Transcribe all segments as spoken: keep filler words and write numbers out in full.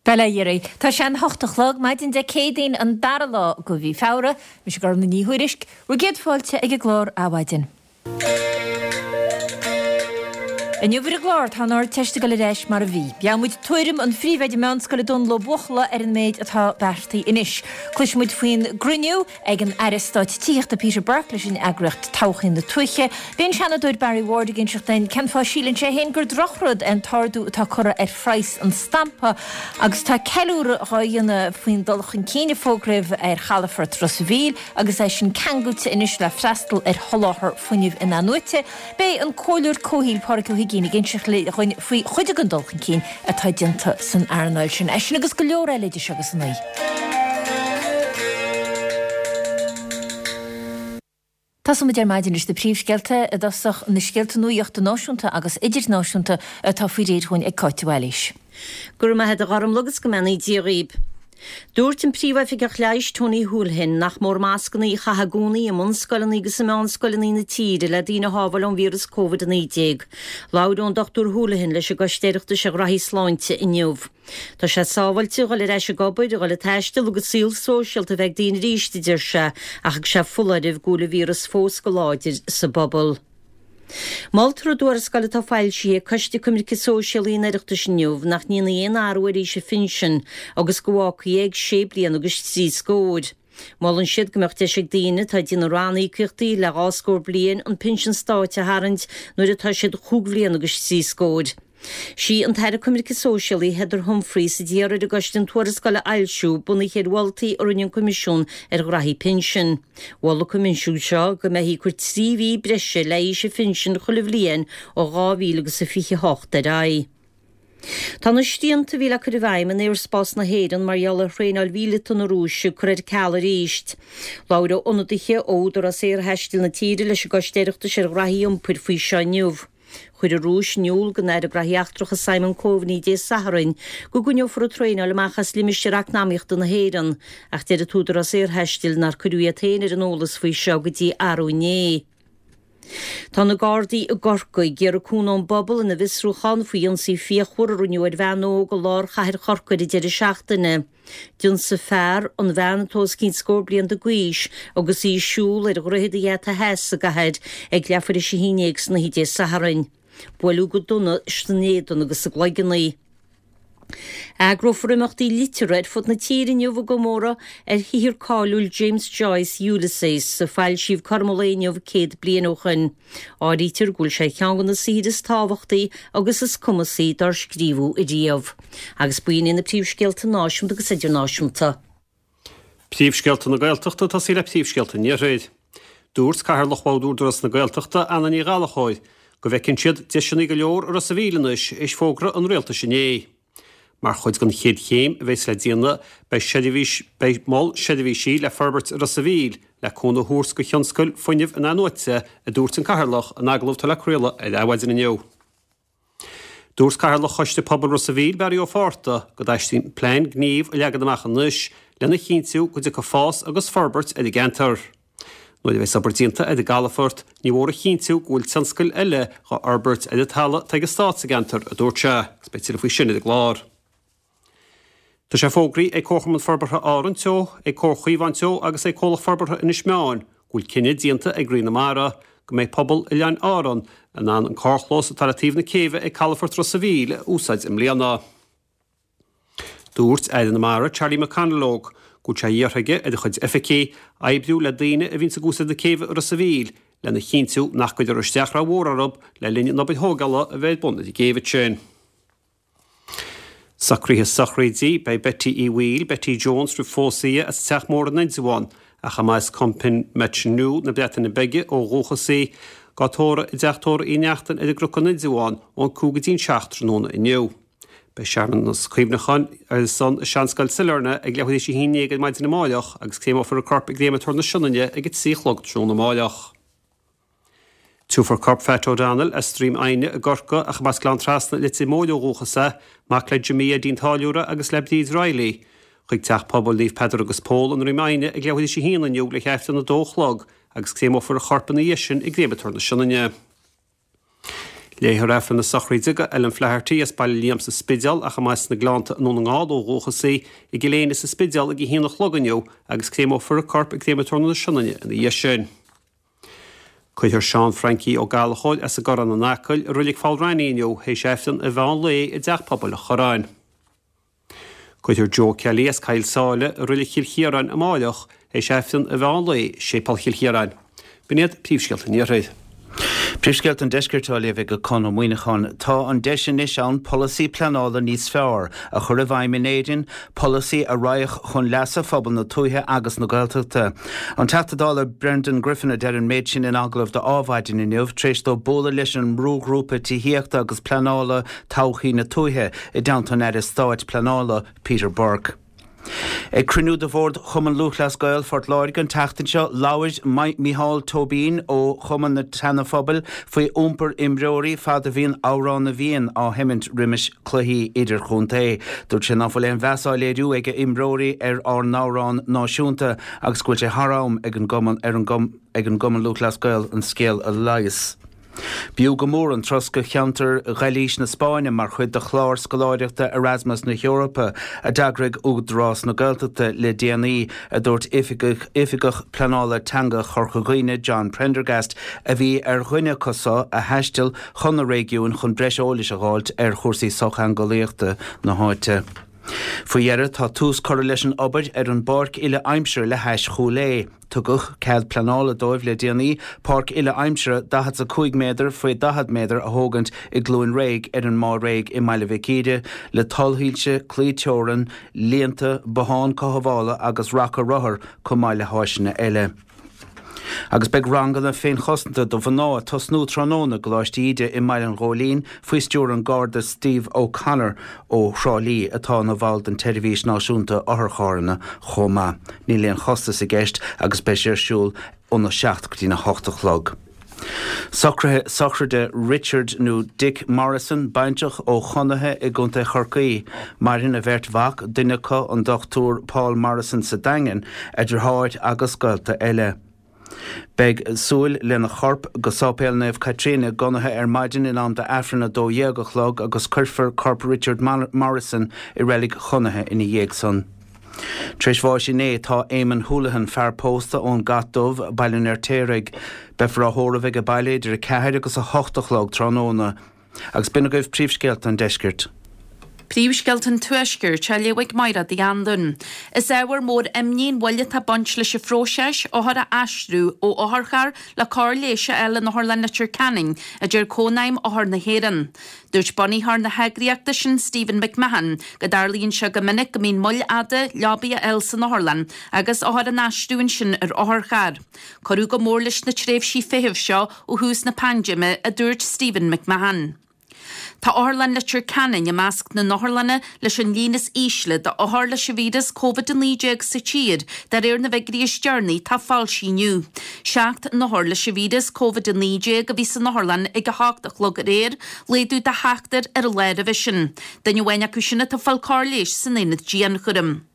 Bail ó Dhia oraibh. Tá sé an hocht a chlog, maidin Dé Céadaoin an dara lá de mhí Feabhra. Mise Gormfhlaith Ní Thuairisg, bhur gcéad fáilte ag an gclár Adhmhaidin. Inniu ar an gclár tá an Ardteist ag dul ar ais mar a bhí. Gheobhaidh muid tuairim an phríomhoide meánscoile Dónal Ó Buachalla ar an méid atá beartaithe anois. Cloisfidh muid faoin gcruinniú ag an Aire Stáit Tithíochta Peter Burke leis an eagraíocht Todhchaí na Tuaithe. Beidh an Seanadóir Barry Ward ag inseacht dúinn cén fáth a síleann sé féin gur drochrud é an t-ardú atá curtha ar phraghas an stampa agus tá ceiliúradh dhá dhéanamh faoin dul chun cinn a fógraíodh ar chalafort Ros a' Mhíl agus é sin ceangailte anois le freastal ar sholáthar fuinnimh in-athnuaite. Beidh an Comhairleoir Comhshaoil Pádraig Ó hUiginn ag inseacht dhúinn faoi chuid den dul chun cinn atá déanta san earnáil sin. É sin agus go leor eile idir seo agus a naoi. Tosóimid ar maidin leis na príomhscéalta i dtosach na scéalta nuachta náisiúnta agus idirnáisiúnta atá faoi réir dhúinn ag Cáit de Bhailís. Go raibh maith agat a Ghormfhlaith agus go mbeannaí Dia dhaoib. Dúirt an Príomhoifigeach Leighis Tony Holohan nach mór mascanna a chaitheamh i gcónaí i mbunscoileanna agus i meánscoileanna na tíre le daoine a shábháil ón víreas Covid a naoi déag. Labhair an Dochtúir Holohan leis an gCoiste Oireachtais ar Ghraithí Sláinte inniu. Tá sé sábháilte a dhul ar ais ag obair, a dhul ag taisteal agus saol sóisialta a bheith ag daoine arís, a deir sé, ach thug sé foláireamh go bhfuil an víreas fós go láidir sa bpobal. Moltar i dtuarascáil atá foilsithe ag Coiste Coimirce Sóisialaí an Oireachtais inniu nach ndéanfaí aon athrú ar aois an phinsin agus go bhfágfaí é ag sé bliana agus trí scór. Molann siad go mbeadh deis ag daoine atá ag déanamh ranníocaíochtaí le dhá scór bliain an pinsean stáit a tharraingt nuair atá siad chúig bhliana agus trí scór. Sí an tAire Coimirce Sóisialaí Heather Humphreys a d'iarr ar an gcoiste an tuarascáil a fhoilsiú, bunaithe ar mholtaí a rinne an Coimisiún ar Ghraithí Pinsin. Mhol an Coimisiún seo go mbeifí ag cur trí mhí breise le haois an phinsin chuile bhliain ó dhá mhíle agus a fiche a hocht ar aghaidh. Tá na srianta a bhí le cur i bhfeidhm in aerspás na hÉireann mar gheall ar thraenáil mhíleata na Rúise curtha ar ceal arís. Labhair ionadaithe ó Údarás Aerthaistil na tíre leis an gCoiste Oireachtais ar Ghraithí Iompair faoi seo inniu. Chuir an Rúis in iúl don Aire Graithí Eachtracha Simon Coveney Dé Sathairn go gcoinneofar an traenáil amach as limistéar eacnamaíochta na hÉireann, ach deir an tÚdarás Aerthaistil nár cuireadh iad féin ar an eolas faoi seo go dtí arú inné. Tá na Gardaí i gCorcaigh ag iarraidh cúnamh ón bpobal ina bhfiosrúchán faoi ionsaí fíochmhar a rinneadh ar bhean óg i lár chathair Chorcaí ar an deireadh seachtaine. D'ionsaigh fear an bhean atá os cionn scór bliain d'aois agus í ag siúl ar Dhroichead an Gheata Theas sa gcathair ag leathuair théis a haon déag san oíche Dé Sathairn. Buaileadh go dona san éadan agus sa gcloigeann í. Eagrófar imeachtaí liteartha ar fud na tíre inniu i gcomóradh ar shaothar cáiliúil James Joyce, Ulysses, a foilsíodh cothrom an lae inniu céad bliain ó shin. Áirítear go bhfuil sé ar cheann de na saothair is tábhachtaí agus is cumasaí dár scríobhadh ariamh. Agus b'in iad na príomhscéalta náisiúnta agus idirnáisiúnta. Príomhscéalta na Gaeltachta ag tosaí le príomhscéalta an Iarthair. Dúirt Cathaoirleach Bhord Údarás na Gaeltachta, Anna Ní Ghallchóir, go bhfeiceann siad deiseanna go leor i Ros a' Mhíl anois théis fógra an Rialtais inné. Mar chuid den chéad chéim a bheas le déanamh beidh seirbhís beidh mol seirbhísí le forbairt i Ros a' Mhíl le cúnamh a thabhairt do thionscail fuinnimh in-athnuaite, a dúirt an Cathaoirleach in agallamh atá le craoladh ar Adhmhaidin inniu. Dúirt Cathaoirleach Choiste Pobail Ros a' Mhíl, Barry Ó Fátharta, go dteastaíonn plean gnímh a leagan amach anois lena chinntiú go dtiocfaidh fás agus forbairt ar an gceantar. Nuair a bheas obair déanta ar an gcalafort, ní mór a chinntiú go bhfuil tionscail eile dhá fhorbairt ar an talamh atá ag an Stát sa gceantar, a dúirt sé, agus beidh tuilleadh faoi sin ar an gclár. Tá sé fógraithe ag Comharchumann Forbartha Árann Teo, ag Comhar Chaomhán Teo agus ag Comhlacht Forbartha Inis Meáin go bhfuil cinneadh déanta ag Rí na Mara go mbeidh pobal Oileáin Árann in ann an carrchlós atá le taobh na céibhe ag Calafort Ros a' Mhíl a úsáid i mbliana. Dúirt Aire na Mara Charlie McConalogue go bhfuil sé iarrtha aige ar a chuid oifigí oibriú le daoine a bhíonns ag úsáid na céibhe i Ros a' Mhíl lena chinntiú nach gcuirfear isteach rómhór orthu le linn an obair thógála a bheidh ar bun ar an gcéibh ansin. Socruithe sochraide, Beidh Betty Uí Bhaoill, Betty Jones roimh phósadh di, as an Teach Mór in Indreabhán, ach ab as Compin-Metniw na Breataine Bige ó dhúchas í, dhá tórramh i dTeach Tórraimh Uí Neachtain ar an gCnoc in Indreabhán ón cúig go dtí'n seacht tráthnóna inniu. Beidh searmanas cuimhneacháin ar a son i Seanscoil Sailearna ag leathuair théis a haon déag ar maidin amáireach agus créameofar a corp i gCréamatóir na Sionainne ag a trí a chlog tráthnóna amáireach. Tiúrfar corp Phat O'Donnell as Droim Aidhne i gCorcaigh ach ab as Gleann Trasna i Leitir Móir ó dhúchas é, mac le Jimmy Eddie an Táilliúra agus le Bríd Reilly, chuig Teach Pobail Naomh Peadar agus Pól i nDroim Aidhne ag leathuair théis a haon inniu le hAifreann a dó a chlog agus créameofar a chorp ina dhiaidh sin i gCréamatóir na Sionainne. Léifear Aifreann na sochraide do Ellen Flaherty as Baile Liam sa Spidéal ach amach as na Gleannta i nDún na nGall ó dhúchas í, i gCill Éinne sa Spidéal ag a haon a chlog inniu agus créamófar a corp i gCréamatóir na Sionainne ina dhiaidh sin. Cuirfear Seán Frankie Ó Gallchóir as an gCorrán in Acaill i Reilig Pholl Raithní inniu théis Aifreann an mheán lae i dTeach Pobail an Chorráin. Cuirfear Joe Kelly as Coill Sáile i Reilig Chill Chiaráin amáireach théis Aifreann an mheán lae i Séipéal Chill Chiaráin. B'in iad príomhscéalta an Iarthair. Príomhscéalta an Deiscirt á léamh ag Conn Ó Muíneacháin. Tá an deis anois ann polasaí pleanála níos fearr a chur i bhfeidhm in Éirinn, polasaí a raghadh chun leasa phobal na tuaithe agus na Gaeltachta. An Teachta Dála Brendan Griffin a deir an méid sin in agallamh do Adhmhaidin inniu tar éis dó bualadh leis an mbrúghrúpa tithíochta agus pleanála Todhchaí na Tuaithe i dteannta an Aire Stáit Pleanála Peter Burke. Ag cruinniú de bhord Chumann Lúthchleas Gael Phort Láirge an tseachtain seo, labhair Micheál Tóibín ó Chumann na tSeana-Phobail faoi iompar imreoirí fad a bhíonn Amhrán na bhFiann á sheimint roimis cluichí idirchontae. Dúirt sé nach bhfuil aon mheas á léiriú ag imreoirí ar ár n-amhrán náisiúnta agus go bhfuil sé thar am ag an gcumann ar an ag an gCumann Lúthchleas Gael an scéal a leigheas. B'fhiú go mór an turas go cheantar Ghailís na Spáinne mar chuid de chlár scoláireachta Erasmus na hEorpa a d'eagraigh Údarás na Gaeltachta le déanaí, a dúirt Oifigeach Pleanála Teanga Chorca Dhuibhne John Prendergast, a bhí ar dhuine acu so a thaistil chun na réigiúin chun breis eolais a dh'fháilt ar chúrsaí sochtheangeolaíochta na háite. Faoi dheireadh, tá tús curtha leis an obair ar an bpáirc uile-aimsire le hais Chúil Aodha. Tugadh cead pleanála dóibh le déanaí páirc uile-aimsire daichead is a cúig méadar faoi daichead méadar a thógaint i gCluain Réidh ar an Máigh Réidh i mBaile Mhic Íre le tollshoilse, claí teorann, líonta, bothán cothabhála agus raca rothar chomh maith le háiseanna eile. Agus beidh ranganna féinchosanta do mhná ag tosnú tráthnóna i gColáiste Íde i mBaile an Ghóilín faoi stiúir an Garda Steve O'Connor ó Thrá Lí atá ina bhall den tSeirbhís Náisiúnta Otharcharranna chomh maith. Níl aon chostas i gceist agus beidh sé ar siúl óna seacht go dtína hocht a chlog. Socruithe sochraide Richard nó Dick Morrison, baintreach ó Chonaithe i gContae Chorcaí. Maireann a bheirt mhac, duine acu an Dochtúir Paul Morrison sa Daingean, a dheartháir agus gaolta eile. Beidh súil lena chorp go Sáipéal Naomh Caitríona i gConaithe ar maidin in am d'Aifreann a dó dhéag a chlog agus cuirfear corp Richard Morrison i reilig Chonaithe ina dhiaidh san. Tar éis bháis inné tá Éamonn Houlihan, fear pósta ón gCat Dubh, Baile an Fheirtéaraigh. Beifear á thórramh ag baile idir a ceathair agus a hocht a chlog tráthnóna. Agus b'in agaibh príomhscéalta an deiscirt. Príomhscéalta an Tuaiscirt á léamh ag Mairéad Uí Anluain. Is ábhar mór imní an mhoill atá ag baint leis an phróiseas othair a aistriú ó otharcharr le cóir leighis a fháil in Otharlann Leitir Ceanainn, a deir Cónaidhm Othar na hÉireann. Dúirt bunaitheoir na heagraíochta sin, Stephen McMahon, go dtarlaíonn sé go minic go mbíonn moill fhada leabaí a fháil san otharlann agus othair á n-aistriú ansin ar otharcharr. Cuireadh go mór leis na tréimhsí feithimh seo ó thús na paindéime, a dúirt Stephen McMahon. Tá Otharlann Leitir Ceanainn i measc na n-otharlanna leis an líon is ísle d'othair leis an víreas Covid a naoi déag sa tír, de réir na bhfigiúirí is deireanaí atá foilsithe inniu. Seacht n-othar leis an víreas Covid a naoi déag a bhí san otharlann ag a hocht a chlog aréir, laghdú de sheachtar ar an lá roimhe sin. Duine amháin acu sin atá ag fáil cóir leighis san aonad dianchúraim.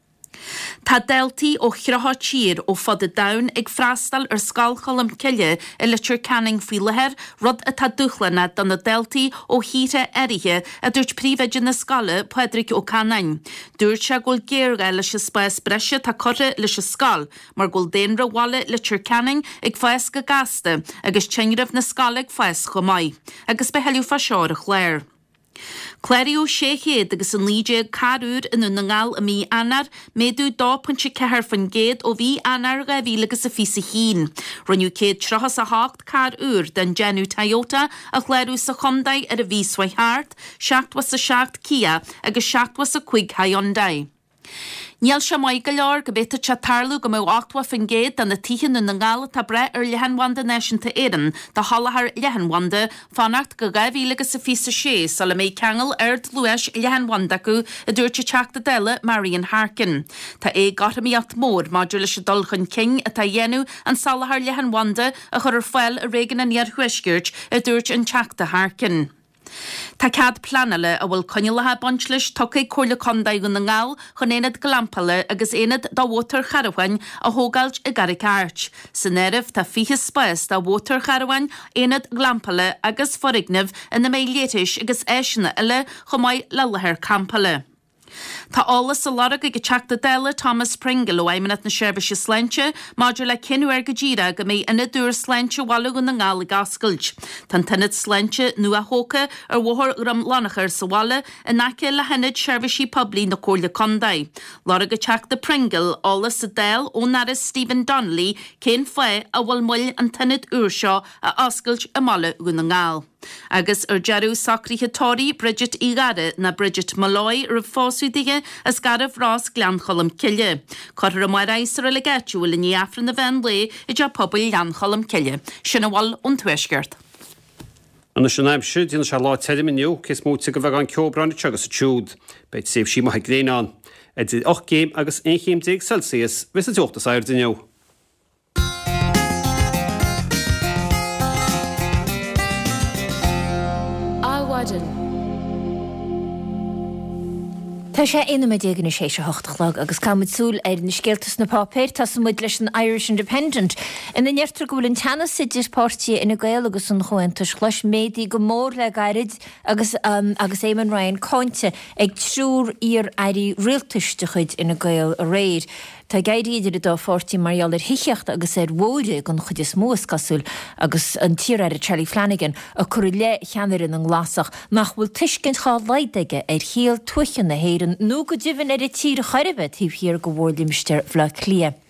Tá daltaí ó thríocha tír ó fud an domhain ag freastal ar Scoil Cholm Cille i Leitir Ceanainn faoi láthair, rud atá dúshlánach do na daltaí ó thíortha áirithe, a dúirt príomhoide na scoile, Pádraig Ó Canáin. Dúirt sé go bhfuil géarghá leis an spás breise atá curtha leis an scoil mar go bhfuil daonra bhaile Leitir Ceanainn ag fás go gasta agus tinreamh na scoile ag fás chomh maith. Agus beidh tuilleadh fá seo ar an chlár. Cláraíodh sé chéad agus a naoi déag carr úr i nDún na nGall i mí Eanáir, méadú dó pointe ceathair faoin gcéad ó mhí Eanáir dhá mhíle agus a fiche a haon. Rinneadh céad tríocha is a hocht carr úr den déanamh Toyota a chlárú sa chontae ar an mhí seo chuaigh thart, seachtó is a seacht Kia agus seachtó is a cúig Hyundai. Níl sé maith go leor go bhféadfadh sé tarlú go mbeadh ochtó faoin gcéad de na tithe i nDún na nGall atá ag brath ar leathanbhanda náisiúnta Éireann do sholáthar leathanbhanda fanacht go dhá mhíle agus a fiche a sé sula mbeidh ceangal ardluais leathanbhanda acu, a dúirt an Teachta Dála Marian Harkin. Tá éagothromaíocht mhór maidir leis an dul chun cinn atá á dhéanamh an soláthar leathanbhanda a chur ar fáil i réigiún an Iarthuaiscirt, a dúirt an Teachta Harkin. Tá cead pleanála a bhfuil coinníollacha ag baint leis tugtha ag Comhairle Contae Dhún na nGall chun aonad glampála agus aonad do mhótarcharabháin a thógáilt i gCarraig Airt. San áireamh tá fiche spás do mhótarcharabháin, aonad glampála agus foirgneamh ina mbeidh leithris agus áiseanna eile chomh maith le láthair campála. Tá eolas á lorg ag an Teachta Dála Thomas Pringle ó Fheidhmeannacht na Seirbhíse Sláinte maidir le cén uair go díreach go mbeidh ionad úr sláinte Bhaile Dhún na nGall ag oscailt. Tá an t-ionad sláinte nua-thógtha ar Bhóthar Dhroim Lonchair sa bhaile in aice le hIonad Seirbhísí Poiblí na Comhairle Contae. Lorg an Teachta Pringle eolas sa Dáil ón Aire Stephen Donnelly cén fáth a bhfuil moill an t-ionad úr seo a oscailt i mBaile Dhún na nGall. Agus ar deireadh socruithe tórraimh Bridget Uí Ghadhra ná Bridget Molloy roimh phósadh dithe as Garbh Ros Gleann Cholm Cille. Cuirfear amárach í sa reilig áitiúil i ndiaidh Aifreann an mheán lae i dteach pobail Ghleann Cholm Cille. Sin a bhfuil ón Tuaisceart. Anois an aimsir, déanfaidh sé lá tirim inniu, cé is móite de bheagán ceobhráin anseo agus ansiúd. Beidh tréimhsí maithe gréine ann. Idir ocht gcéim agus aon chéim déag Celsius a bheas an teocht is airde inniu. Adhmhaidin. Tá sé aon nóiméad déag anois théis a hocht a chlog agus caithfimid súil ar na scéalta sna páipéir. Tosóidh muid leis an Irish Independent ina ndeirtear go bhfuil an teannas idir páirtithe Fhine Gael agus an Chomhaontais Ghlais méadaithe go mór le gairid agus agus Eamon Ryan cáinte ag triúr iar-airí rialtais de chuid Fhine Gael aréir. Tá ag éirí idir an dá pháirtí mar gheall ar thithíocht agus ar bhóithre den chuid is mó, is cosúil, agus an t-iar-aire Charlie Flanagan ag cur i leith cheannaire na nGlasach nach bhfuil tuiscint dhá laghad aige ar shaol tuaithe na hÉireann nó go deimhin ar an tír chor ar bith taobh thiar de mhórlimistéar Bhaile Átha Cliath.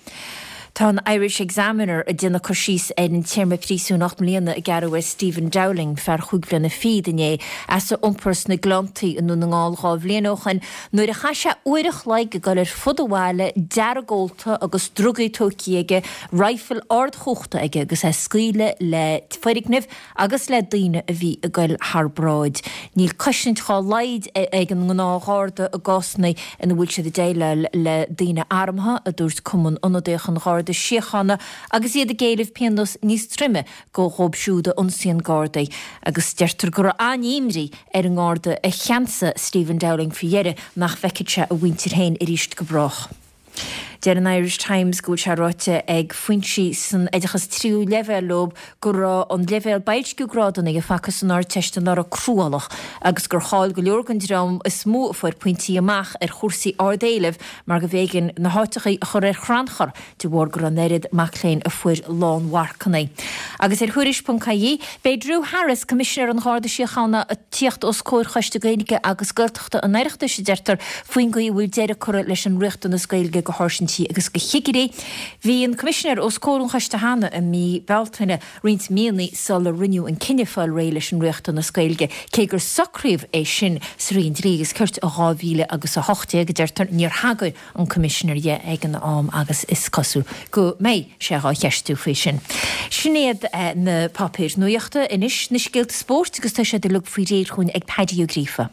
Tá an Irish Examiner ag déanamh cur síos ar an téarma príosúin ocht mbliana a gearradh ar Stephen Dowling, fear chúig bhliana fichead inné, as a iompar sna Gleanntaí i nDún na nGall dhá bhliain ó shoin nuair a chaith sé uair a chloig ag dul ar fud an bhaile, deargólta agus drugaí tógtha aige, raidhfil ardchumhachta aige agus é ag scaoileadh le foirgnimh agus le daoine a bhí ag dul thar bráid. Níl cosaint dhá laghad ag an ngnáthgharda i gcásanna ina bhfuil siad ag déileáil le daoine armtha, a dúirt Cumann Ionadaíoch an Gharda Síochána agus iad ag éileamh pionós níos troime dhóibh siúd a ionsaíonn Gardaí agus deirtear go raibh an-imní ar an nGarda a cheansaigh Stephen Dowling faoi dheireadh nach bhfeicfeadh sé a mhuintir féin arís go brách. Deir an Irish Times go bhfuil sé ráite ag foinsí san oideachas tríú leibhéal leo go raibh an leibhéal boilsciú grádanna a facthas san Ardteist anuraidh cruálach agus gur chaill go leor den dream is mó a fuair pointí amach ar chúrsaí ard-éilimh mar go mb'éigean na háiteachaí a chur ar chrannchur de bharr go raibh an oiread mac léinn a fuair lánmharcanna. Agus ar Thuairisc ponc ie, beidh Drew Harris, Coimisinéir an Gharda Síochána, ag tíocht os comhair Choiste Gaeilge agus Gaeltachta an Oireachtais, a deirtear, faoin gcaoi a bhfuil deireadh curtha leis an riachtanas Gaeilge do sháirsintí agus do chigirí. Bhí an Coimisinéir os comhair an choiste cheana i mí Bealtaine, roinnt míonna sula rinneadh an cinneadh fáil réidh leis an riachtanas Gaeilge, cé gur socraíodh é sin sa Roinn Dlí agus Cirt i dhá mhíle agus a hocht déag, a deirtear. Níor thagair an Coimisinéir dhe ag an am agus is cosúil go mbeidh sé dhá cheistiú faoi sin. Sin iad na páipéir nuachta. Anois na scéalta spóirt agus tá siad uilig faoi réir chugainn ag Paddy Ó Gríofa.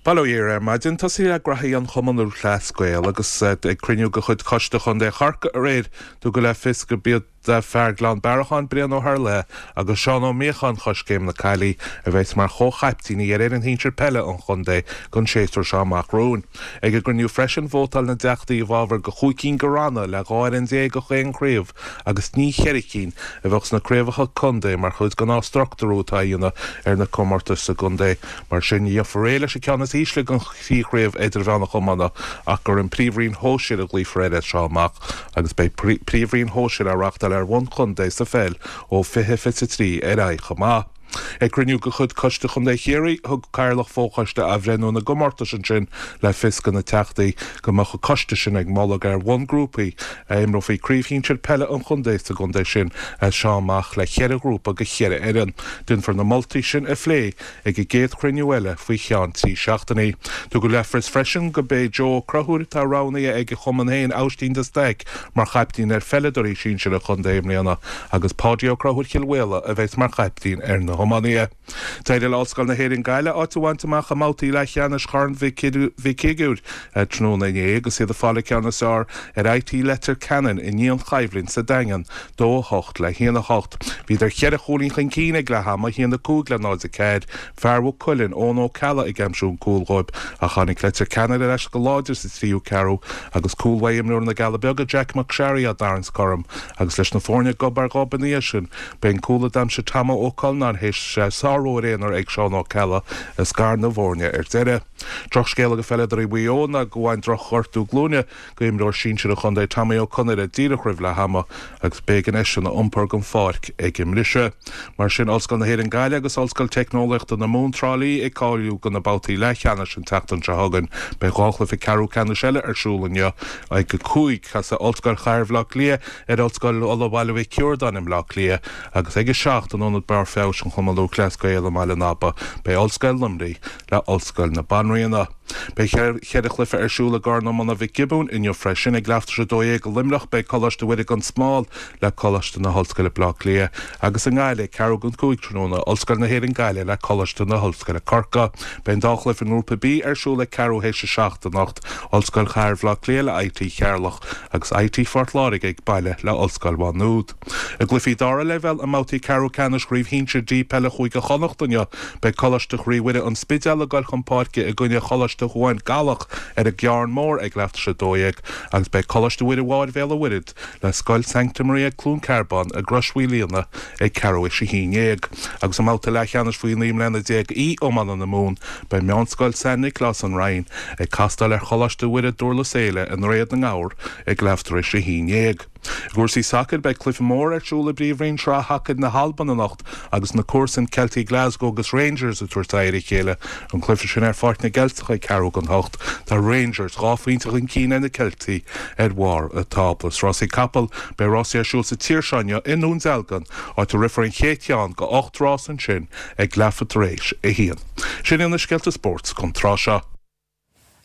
Bail ó Dhia oraibh ar maidin. Tosaí le graithí an Chumann Lúthchleas Gael agus ag cruinniú de chuid Choiste Chontae Chorcaí aréir tugadh le fios go b'iad fear Ghleann Bearacháin, Brian Ó hEarlaithe agus Seán Ó Míocháin Choiscéim na Caillí a bheas mar chomh-chaiptíní ar fhoireann shinsir peile an chontae don séasúr seo amach romhainn. Ag an gcruinniú freisin vótáil na dteachtaí i bhfabhar de chúig cinn de ranna le dhá fhoireann déag gach aon chraobh agus ní cheithre cinn a bheadh sna craobhacha contae mar chuid den athstruchtúrú atá á dhéanamh ar na comórtais sa gcontae. Mar sin ní dhéanfar réidh leis an ceann is ísle den thrí chraobh idirmheánach iomána ach gur an Príomhroinn Shóisir a ghlaofar air as seo amach agus beidh Príomhroinn Shóisir á reáchtáil ar bhonn contae sa pheil ó fiche fiche trí ar aghaidh chomh maith. Ag cruinniú de chuid Coiste Chontae Chiarraí, thug Cathaoirleach Fho-Choiste Athbhreithniú na gComórtas ansin le fios do na Teachtaí go mbeadh an coiste sin ag moladh gur ar bhonn grúpaí a imreofaí Craobh Shinsir Peile an chontae sa gcontae sin as seo amach le ceithre ghrúpa de cheithre fhoireann. Déanfar na moltaí sin a phlé ag an gcéad chruinniú eile faoi cheann trí seachtainí. Tugadh le fios freisin go b'é Joe Ó Conchúir atá roghnaithe ag a chumann féin, Aibhistín de Staic, mar chaiptín ar pheileadóirí sinsir an chontae i mbliana agus Páidí Ó Conchúir Chill Mhaola a bheas mar chaiptín ar na hiománaithe. D'éirigh le Ollscoil na hÉireann Gaillimh áit a bhaint amach i mbabhtaí leathcheannais Chorn Mhic Shigiúir tráthnóna inné agus iad ag fáil an ceann is fearr ar I T Leitir Ceanainn i ndianchoimhlint sa Daingean, dó a hocht le haon a hocht. Bhíodar cheithre chúilín chun cinn ag leath ama, a haon a cúig le náid a ceathair, fear Mhaigh Cuilinn, Eoin Ó Ceallaigh ag aimsiú an cúl dhóibh ach tháinig Leitir Ceanainn ar ais go láidir sa tríú ceathrú agus cúl uaidh imreoir na gCealla Beaga Jack McSharry á dtarraingt cothrom agus leis na foirne gob ar ghob ina dhiaidh sin. B'é an cúl a d'aimsigh Tommo Ó Cuilleanáin théis sárú aonair ag Seán Ó Ceallaigh a scar na bhfoirne ar deireadh. Drochscéal ag peileadóirí Mhaigh Eo ná go bhain drochghortú glúine go imreoir sinsir an chontae Tommy Ó Conaire díreach roimh leath ama agus b'éigean eisean a iompar den pháirc ag an mbriseadh. Mar sin Ollscoil na hÉireann Gaillimh agus Ollscoil Teicneolaíochta na Mumhan Trá Lí ag cáiliú do na babhtaí leathcheannais an tseachtain seo chugainn. Beidh dhá chluiche ceathrú ceannais eile ar siúl inniu ag a cúig casfaidh Ollscoil Chathair Bhaile Átha Cliath ar Ollscoil Uladh Bhaile Mhic Ciardáin i mBleá Cliath agus ag a seacht in Ionad Barr Feabhais an Chumann Lúthchleas Gael i mBaile an Aba beidh Ollscoil Luimnigh le Ollscoil na Banríona. Beidh cheithre chluiche ar siúl i gCorn Iomána Mhic Giobúin inniu freisin ag leathuair tar éis a dó dhéag i Luimneach beidh Coláiste Mhuire gan Smál le Coláiste na hOllscoile Bleá Cliath agus i nGaillimh ceathrú don cúig tráthnóna Ollscoil na hÉireann Gaillimh le Coláiste na hOllscoile Corcaigh. Beidh an dá chluiche i ngrúpa B ar siúl ag ceathrú théis a seacht anocht Ollscoil Chathair Bhaile Átha Cliath le I T Cheatharlach agus I T Phort Láirge ag baile le Ollscoil Mhá Nuad. I gcluichí dara leibhéal i mbabhtaí ceathrú ceannais Chraobh Shinsir D Peile Chúige Chonnacht inniu beidh Coláiste Chroí Mhuire an Spidéal ag dul chun páirce i gcoinne Choláiste Chuan Gallach ar an gCearn Mór ag leathuair tar éis a dó dhéag agus beidh Coláiste Mhuire Mháir Bhéal an Mhuirthead le Scoil Sancta Maria Cluain Cearbán i gCrois Mhaoil Líona ag ceathrú théis a haon déag. Agus i mbabhta leathcheannais faoi naoi mbliana déag E iomána na Mumhan beidh Meánscoil San Nioclás an Rinn ag castáil ar Choláiste Mhuire Durlas Éile i nDroichead na nGabhar ag leathuair tar éis a haon déag. I gcúrsaí sacair beidh cluiche mór ar siúl i bPríomhroinn Sraith Hacair na hAlban anocht agus na comharsana Celtic Glasgow agus Rangers ag tabhairt aghaidh ar a chéile an cluiche sin ar Pháirc na gCeilteach ag ceathrú don hocht tá Rangers dhá phointe chun cinn ar na Ceiltigh ar bharr an tábla. Rásaí capall beidh rásaí ar siúl sa tír seo inniu i nDún Dealgan áit a rithfear an chéad cheann de ocht rás ansin ag leathuair tar éis a haon. Sin na scéalta spóirt don tráth seo.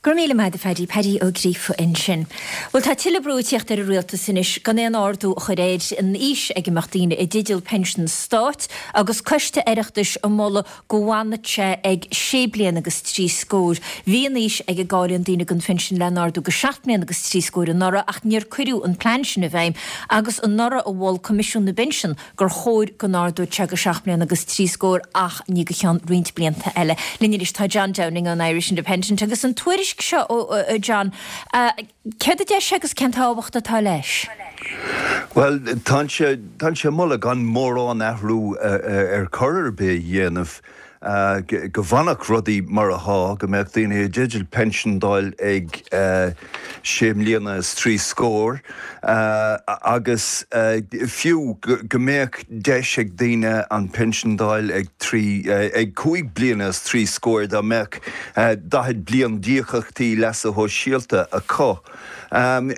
Gur míle maith a Phaddy Paddy Ó Gríofa ansin. Well tá tuilleadh brú ag teacht ar an rialtas anois gan aon ardú a chur ar an aois ag a mbeadh daoine i dteideal pinsean stáit agus coiste Oireachtais ag moladh go bhfanfadh sé ag sé bliana agus trí scór. Bhí an aois ag a gcáilíonn daoine don phinsean le n-ardú go seacht mbliana agus trí scór anuraidh ach níor cuireadh an plean sin i bhfeidhm agus anuraidh a mhol Coimisiún na bPinsean gur chóir go n-ardódh sé go seacht mbliana agus trí scór ach ní go ceann roinnt blianta eile. Linn anois tá John Downing ón Irish Independent agus an tuairisc seo ó John. Céard a deir sé agus cén tábhacht atá leis? Well tá sé tá sé moladh gan mórán athrú ar chor ar bith a dhéanamh go bhfanfadh rudaí mar atá go mbeadh daoine i dteideal pinsean a fháil ag sé mbliana is trí scór agus fiú go mbeadh deis ag daoine an pinsean a fháil ag trí ag cúig bliana is trí scór dá mbeadh daichead bliain d'íocaíochtaí leasa shóisialta acu. Um,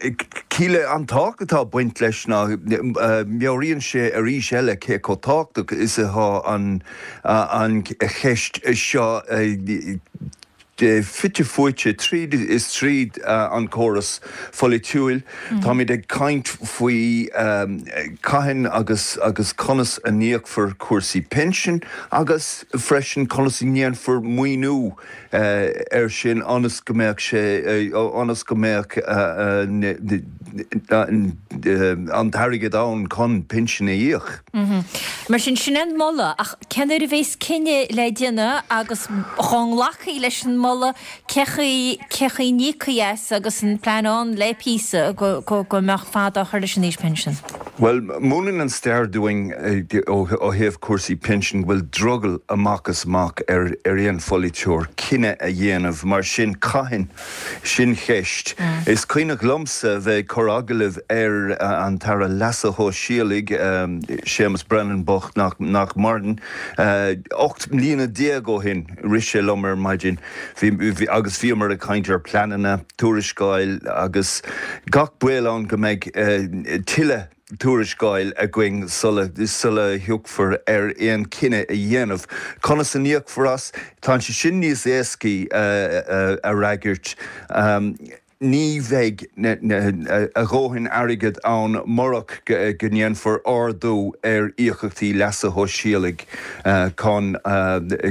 Cíle an tábhacht atá ag baint leis ná meabhraíonn sé arís eile cé chomh tábhachtach is atá an an cheist seo fite fuaite tríd is tríd an córas polaitiúil. Mm. Táimid ag caint faoi um, cathain agus agus conas a n-íocfar cúrsaí pinsin agus freisin conas a ndéanfar maoiniú uh, ar sin ionas go mbeadh sé ionas go mbeadh uh, an t-airgead ann chun pinsin a íoc. Mm -hmm. Mar sin sin an moladh ach cén uair a bheas cinneadh le déanamh agus chun glacadh leis an moladh cén chaoi n-íocfaí as agus an plean ann le píosa go, go, go mbeadh fad á chur leis an aois pinsin. Well, múineann an stair dúinn ó thaobh cúrsaí pinsin bhfuil drogall amach is amach ar ar aon pholaiteoir cinneadh a dhéanamh mar sin cathain sin ceist. Mm. Is cuimhin liomsa bheith cur agallamh ar uh, an tAire Leasa Shóisialaigh um, Séamus Brennan bocht nach, nach maireann uh, ocht mbliana déag ó shin rith sé liom ar maidin agus bhíomar ag caint ar pleananna tuarascáil agus gach baol ann go mbeidh uh, tuilleadh tuarascáil againn sula sula thiocfar ar aon cinneadh a dhéanamh. Conas a n-íocfar as tá sé sin níos éascaí uh, uh, a fhreagairt. Um, Ní bheidh a dhóthain airgid ann murach go ndéanfar ardú ar íocaíochtaí leasa shóisialaigh chun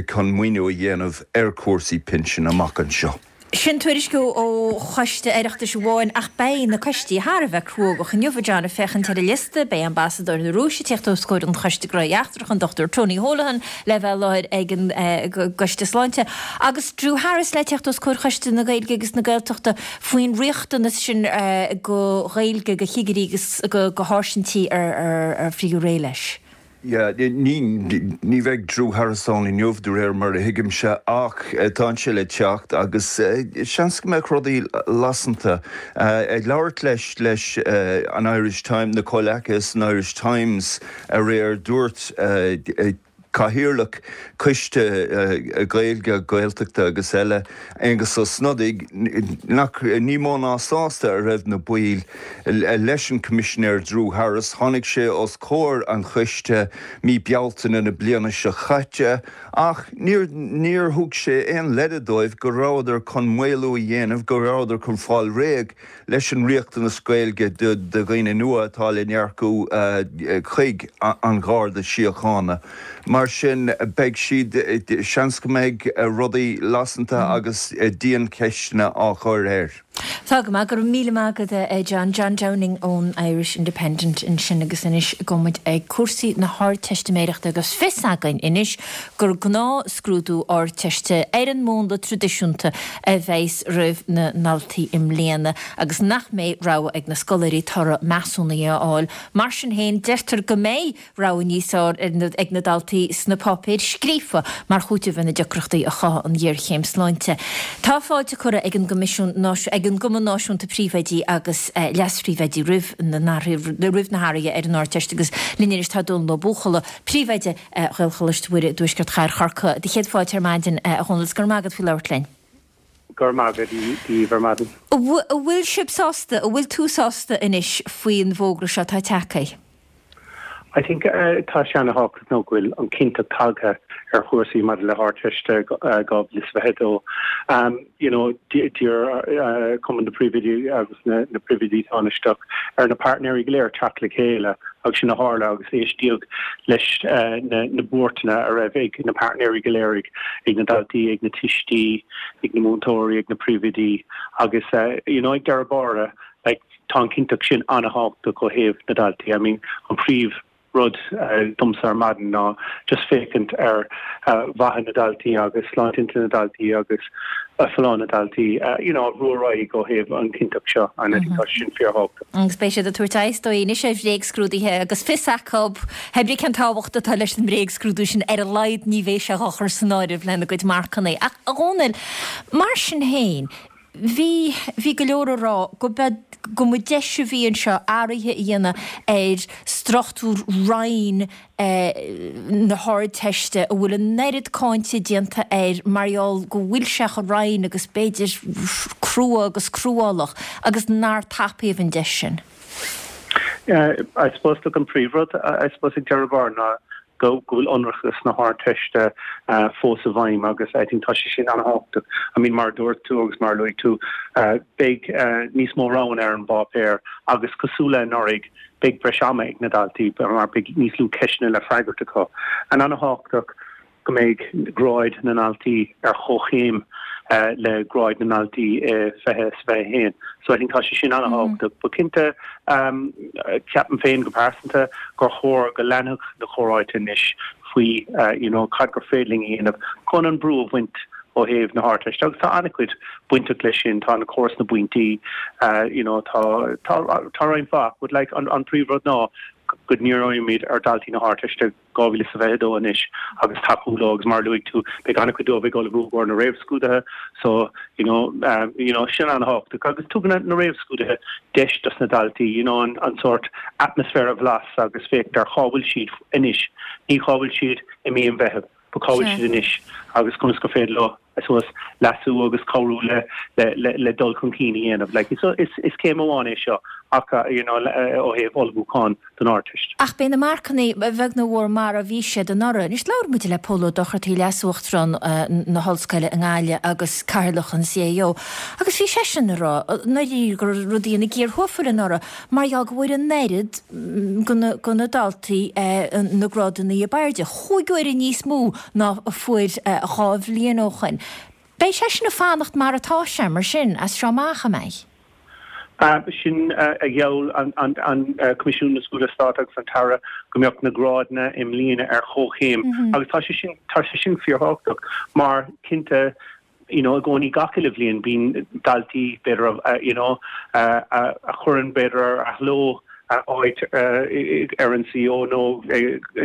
chun maoiniú a dhéanamh ar chúrsaí pinsin amach anseo. Sin tuairisc ó choiste Oireachtais amháin ach beidh na coistí thar a bheith cruógach inniu, a John, ag féachaint ar an liosta, beidh ambasadóir na Rúise ag teacht os comhair an Choiste Gnóthaí Eachtracha, an Dochtúir Tony Holohan le bheith i láthair ag an gCoiste Sláinte agus Drew Harris le teacht os comhair Choiste na Gaeilge agus na Gaeltachta faoin riachtanas sin go Ghaeilge go chigirí agus go sháirsintí ar frítheadh réidh leis. Yeah, ní ní bheidh Drew Harris ann inniu de réir mar a thuigimse ach tá sé le teacht agus seans go mbeidh rudaí lasanta. Ag labhairt leis leis an Irish Times, na comhleacaithe san Irish Times aréir dúirt Cathaoirleach Coiste Gaeilge, Gaeltachta agus eile, Aengus Ó Snodaigh, nach ní mó ná sásta a raibh na baill leis an Coimisinéir Drew Harris. Tháinig sé os comhair an choiste mí Bealtaine na bliana seo chaite ach níor níor thug sé aon leide dóibh go rabhadar chun maolú a dhéanamh, go rabhadar chun fáil réidh leis an riachtanas Gaeilge do dhaoine nua atá le n-earcú chuig an Gharda Síochána. Mar sin beidh siad, seans go mbeidh rudaí lasanta agus diancheisteanna á chur air. Tá go maith, go raibh míle maith agat a John. John Downing ón Irish Independent ansin agus anois gabhfaidh muid ag cúrsaí na hArdteistiméireachta agus fios againn anois gur gnáthscrúdú Ardteiste ar an múnla traidisiúnta a bheas roimh na ndaltaí i mbliana agus nach mbeidh rogha ag na scoláirí toradh measúnaithe a fháil. Mar sin féin, deirtear go mbeidh rogha níos fearr ag na daltaí sna páipéir scríofa mar chúiteamh ar na deacrachtaí a chothaigh an ghéarchéim sláinte. Tá fáilte curtha ag an gCoimisiún ag an gCumann Náisiúnta Príomhoidí agus Leas-Phríomhoidí roimh na roimh na hathruithe ar an Ardteist agus linn anois tá Dónal Ó Buachalla, Príomhoide Ghaelcholáiste Mhuire i dTuaisceart Chathair Chorcaí. Do chéad fáilte ar maidin, a Dhónaill, is go raibh maith agat faoi labhairt linn. Go raibh maith agat daoibh ar maidin. An bhfuil sibh sásta, an bhfuil tú sásta anois faoin bhfógra seo atá tagtha? I think tá sé ana-thábhachtach nó go bhfuil an cinnteacht tagtha ar chúrsaí maidir le hArdteist dhá mhíle is fiche a dó. You know, d'iarr Cumann na Príomhoidí agus na na príomhoidí tánaisteach ar na páirtnéirí go léir teacht le chéile agus sin a tharla agus éistíodh leis na na buairteanna a raibh ag na páirtnéirí go léir, ag ag na daltaí, ag na tuistí, ag na múinteoirí, ag na príomhoidí agus you know ag deireadh báire like tá an chinnteacht sin an-thábhachtach ó thaobh na daltaí. I mean an príomh rud domsa ar maidin ná just féachaint ar mhaithe na daltaí agus sláinte intinne na daltaí agus folláine na daltaí you know a bhrú ar aghaidh ó thaobh an chinnteacht seo and I think tá sin fíorthábhachtach. Agus beidh siad ag tabhairt aghaidh is dóigh anois ar bhréagscrúduithe agus fios acu pé ar bith cén tábhacht atá leis an mbréagscrúdú sin ar a laghad ní bheidh sé á chur san áireamh lena gcuid marcanna. Ach a Dhónaill, mar sin féin, Bhí, bhí go leor ag rá go mba, go mba deis a bhí anseo athruithe a dhéanamh ar struchtúr Roinn na hArdteiste a bhfuil an oiread cáinte déanta air mar gheall go bhfuil sé chomh righin agus b'fhéidir crua agus cruálach agus nár tapaíodh an deis sin. I suppose look an príomhrud I suppose ag deireadh báire ná go bhfuil ionracas na hArdteiste fós i bhfeidhm agus I think tá sé sin an-thábhachtach. I mean mar a dúirt tú agus mar a luaigh tú beidh níos mó roghanna ar an bpáipéar agus cosúil le anuraidh beidh breis ama ag na daltaí mar beidh níos lú ceisteanna le freagairt acu. And an-thábhachtach go mbeidh gráid na ndaltaí ar chomhchéim le gráid na ndaltaí i fiche is fiche a haon. So I think tá sé sin an-thábhachtach. But cinnte, ceapaim féin go pearsanta gur chóir go leanfadh na comhráite anois faoi you know cad gur féidir linn a dhéanamh chun an brú a bhaint ó thaobh na hArdteiste. Agus tá an-chuid bainteach leis sin, tá an córas na bpointí, you know tá tá tá roinnt mhaith but like an an príomhrud ná go ndíreoimid ar dhaltaí na hArdteiste dhá mhíle is fiche a dó anois agus tacú leo agus mar a luaigh tú beidh an-chuid dóibh ag ullmhú i gcomhair na réamhscrúduithe so you know you know sin an-thábhachtach agus tugann na réamhscrúduithe deis dos na daltaí you know an an sórt atmaisféar a bhlas agus féachaint ar cá bhfuil siad anois ní cá bhfuil siad i mí an Mheithimh but cá bhfuil siad anois agus conas gur féidir leo I suppose leasú agus cabhrú le le le dul chun cinn a dhéanamh. Like is is is céim amháin é seo acu you know ó thaobh ullmhúcháin don Ardteist. Ach beidh na marcanna a bheag nó a mhór mar a bhí siad anuraidh. Anois labhair muid le Pól Ó Dochartaigh, Leas-Uachtarán na hOllscoile i nGaillimh agus Cathaoirleach an CAO, agus bhí seisean ag rá ndáiríre go raibh rudaí ina gcíor thuafail anuraidh mar gheall go bhfuair an oiread de na daltaí na grádanna ab airde, chúig huaire níos mó ná a fuair dhá bhliain ó shoin. Beidh sé sin ag fanacht mar atá sé, mar sin, as seo amach, an mbeidh? Sin a gheall an Coimisiún na Scrúduithe Stáit agus an tAire go mbeadh na grádanna i mbliana ar chomhchéim agus tá sé sin tá sé sin fíorthábhachtach mar cinnte you know i gcónaí gach uile bhliain bíonn daltaí b'fhéidir you know a chuireann b'fhéidir ar athló áit ar an CAO nó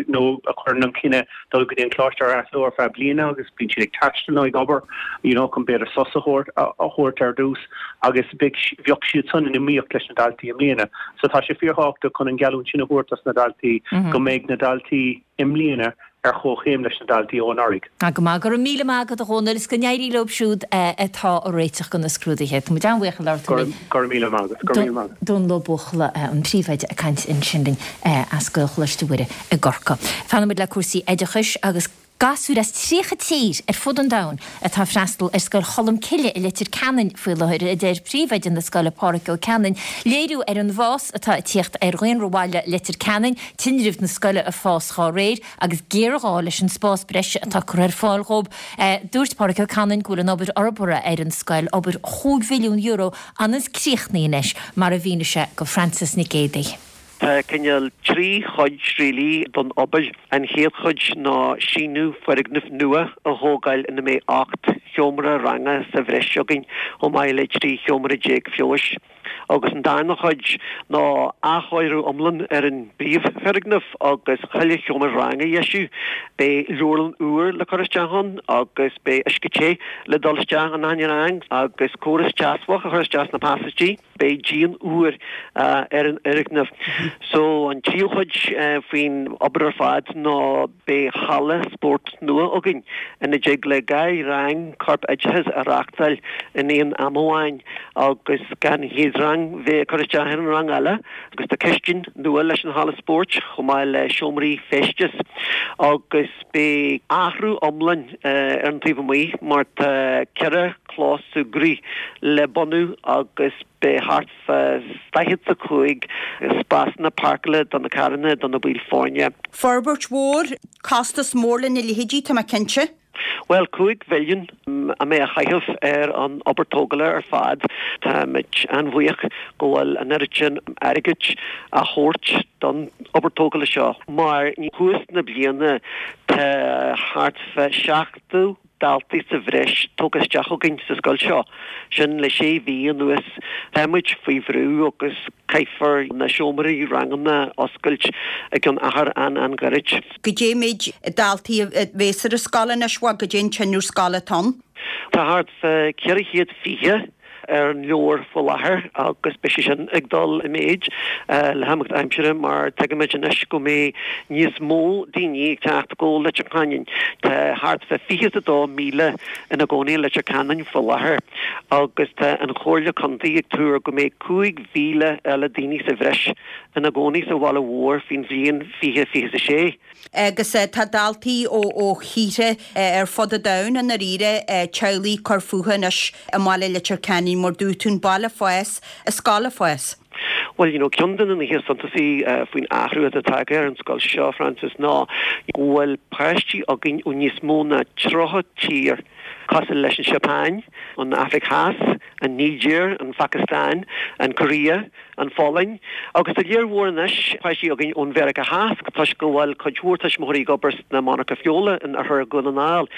nó a chuireann an cinneadh dul go dtí an coláiste ar athló ar feadh bliana agus bíonn siad ag taisteal nó ag obair you know chun b'fhéidir sos a thabhairt a thabhairt ar dtús agus bheadh siad san in iomaíocht leis na daltaí i mbliana. So tá sé fíorthábhachtach chun an geallúint sin a thabhairt dos na daltaí go mbeidh na daltaí i mbliana ar chomhchéim leis na daltaí ó anuraidh. Go maith, go raibh míle maith agat a Dhónaill is go n-éirí leo siúd atá ag réiteach do na scrúduithe. Tá muid an-bhuíoch ag labhairt linn. Go raibh míle maith agat. Go raibh míle maith agat. Dónal Ó Buachalla, an príomhoide ag caint ansin linn as Gaelcholáiste Mhuire i gCorcaigh. Fanfaidh muid le cúrsaí oideachais agus gasúir as tríocha tír ar fud an domhain atá ag freastal ar Scoil Cholmcille i Leitir Ceanainn faoi láthair, a deir príomhoide na scoile Páraic Ó Ceanainn. Léiriú ar an bhfás atá ag tíocht ar dhaonra bhaile Leitir Ceanainn, tinreamh na scoile ag fás dhá réir agus géarghá leis an spás breise atá curtha ar fáil dhóibh. Dúirt Páraic Ó Ceanainn go bhfuil an obair fhorbartha ar an scoil, obair chúig mhilliún euro, ionas críochnaithe anois, mar a mhínigh sé go Frances Nic Géadaigh. Tá cineál trí chuid really don obair. An chéad chuid ná síneadh foirgneamh nua a thógáil ina mbeidh ocht sheomra ranga sa bhreis againn chomh maith le trí sheomra déag feabhais. Agus an darna chuid ná athchóiriú iomlán ar an bpríomhfhoirgneamh agus chuile sheomra ranga a dheisiú. Beidh leabharlann úr le cur isteach ann agus beidh uisce te le dul isteach in achan rang agus córas teasbhach a chur isteach sna pasáistí. Beidh díon úr ar an fhoirgneamh. So an tríú chuid faoin obair ar fad ná beidh halla spóirt nua againn ina dtig le dhá rang corp oideachais a reachtáil in aon am amháin agus gan an chéad rang bheith ag cur isteach ar an rang eile agus tá cistin nua leis an halla spóirt chomh maith le seomraí feistis agus beidh athrú iomlán ar an taobh amuigh mar tá ceithre chlós súgraí le bunú agus beidh thart fá daichead is a cúig spásanna páirceála do na carranna do na baill foirne. Forbairt mhór, costas mór lena leithéidí, tá mé cinnte. Bhuel, cúig mhilliún a mbeidh á chaitheamh ar an obair tógála ar fad. Táimid an-bhuíoch go bhfuil an oiread sin airgid á thabhairt don obair tógála seo mar thuas na bliana tá thart fá seachtó daltaí sa bhreis tugtha isteach againn sa scoil seo, sin le sé mhí anuas. Táimid faoi bhrú agus caithfear na seomraí ranganna a oscailt i gceann achar an-an-ghairid. Goidé an méid daltaí a bhéas ar an scoil anois, bhuel, goidé an tinreamh scoile atá ann? Tá thart fá ceithre chéad fiche ar an leabhar faoi láthair agus beidh sé sin ag dul i méid le himeacht aimsire mar tuigimid anois go mbeidh níos mó daoine ag teacht go Leitir Ceanainn. Tá thart fá fiche is a dó míle ina gcónaí i Leitir Ceanainn faoi láthair agus tá an Chomhairle Contae ag tuar go mbeidh cúig mhíle eile daoine sa bhreis ina gcónaí sa bhaile mhór faoin bhliain fiche fiche is a sé. Agus tá daltaí ó ó thíortha ar fud an domhain i ndáiríre, teaghlaigh ag cur fúthu anois i mbaile Leitir Ceanainn mar dúirt tú, an baile ag fás, an scoil ag fás. Bhuel, you know, ceann de na nithe is suntasaí faoin athrú atá tagtha ar an scoil seo, Frances, ná go bhfuil páistí againn ó níos mó ná tríocha tír, cosúil leis an Seapáin, an Afraic Theas, an Nigéir, an Phacastáin, an Choiréa, an Pholainn, agus tá léir mhór anois páistí againn ón Mheiriceá Theas toisc go bhfuil cuid mhór tuismitheoirí ag obair sna monarcha feola in oirthear Dhún na nGall.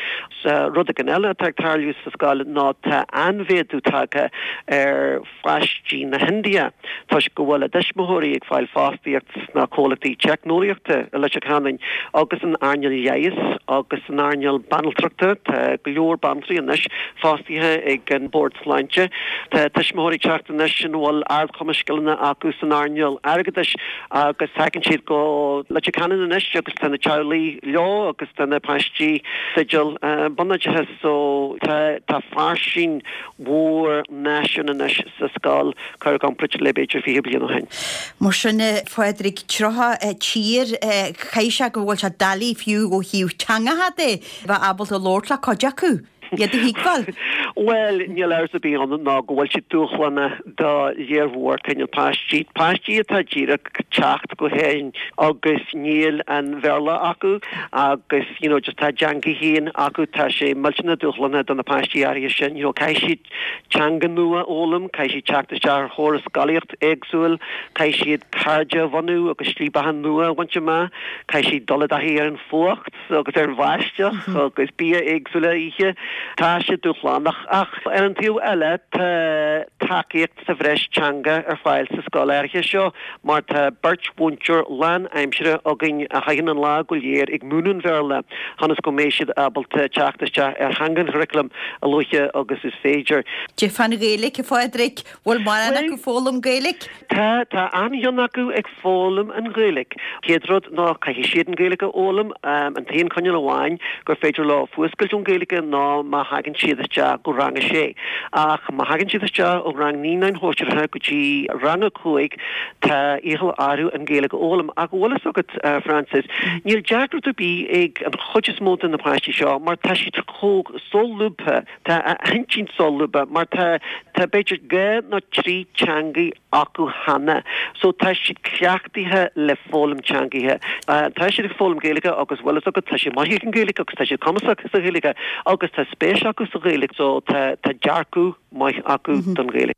Rud éigin eile atá ag tarlú sa scoil ná tá an-mhéadú tagtha ar pháistí na hIndia toisc go bhfuil a dtuismitheoirí ag fáil fostaíocht sna comhlachtaí teicneolaíochta i Leitir Ceanainn agus san earnáil leighis agus san earnáil banaltrachta. Tá go leor banaltraí banaltraí anois fostaithe ag an Bord Sláinte. Tá tuismitheoirí ag teacht anois ina bhfuil ardchumas scileanna acu san earnáil airgeadais agus tagann siad go Leitir Ceanainn anois agus tá na teaghlaigh leo agus tá na páistí i dteideal bunoideachas so tá tá fairsing mhór náisiún anois sa scoil curtha i gcomparáid le b'fhéidir fiche bliain ó shin. Mar sin a Phádraig, tríocha tír, caithfidh sé go bhfuil sé doiligh fiú ó thaobh teangacha de bheith ábalta labhairt le cuid acu, iad a thuigbheáil. Bhuel, níl amhras ar bith ann ná go bhfuil sé dúshlánach do léar mhór cineál páistí, páistí atá díreach teacht go hÉirinn agus níl an Bhéarla acu agus you know just tá a dteanga féin acu, tá sé millteanach dúshlánach do na páistí áirithe sin, you know caithfidh siad teanga nua a fhoghlaim, caithfidh siad teacht isteach ar chóras scolaíocht éagsúil, caithfidh siad cairde a bhunú agus slí beatha nua a bhaint amach, caithfidh siad dul i dtaithí ar an fuacht agus ar an bháisteach agus bia éagsúil a ithe. Tá sé dúshlánach ach ar an taobh eile tá tacaíocht sa bhreis teanga ar fáil sa scoil áirithe seo mar tá beirt mhúinteoir lán-aimsire againn a chaitheann an lá go léir ag múineadh an Bhéarla ionas go mbeidh siad ábalta teacht isteach ar theanga an churaclaim a luaithe agus is féidir. Cad é fán Ghaeilge, a Phádraig, bhfuil mórán acu ag foghlaim Gaeilge? Tá, tá an-chion acu ag foghlaim an Ghaeilge. Chéad rud ná caithfidh siad an Ghaeilge a fhoghlaim. An t-aon choinníoll amháin gur féidir leo fuascailt ón Ghaeilge ná má thagann siad isteach go rang a sé. Ach má thagann siad isteach ó rang naíonáin shóisearacha go dtí rang a cúig tá iachall orthu an Ghaeilge a fhoghlaim. Ach bhfuil fhios agat, Frances, níl deacracht ar bith ag an chuid is mó de na páistí seo mar tá siad chomh solúbtha, tá a n-intinn solúbtha mar tá tá b'fhéidir dhá nó trí teangaí acu cheana so tá siad cleachtaithe le foghlaim teangaithe. Tá siad ag foghlaim Gaeilge agus bhfuil fhios agat tá siad maith ag an Ghaeilge agus tá siad cumasach sa Ghaeilge agus tá spéis acu sa Ghaeilge so tá tá dearcadh maith acu don Ghaeilge.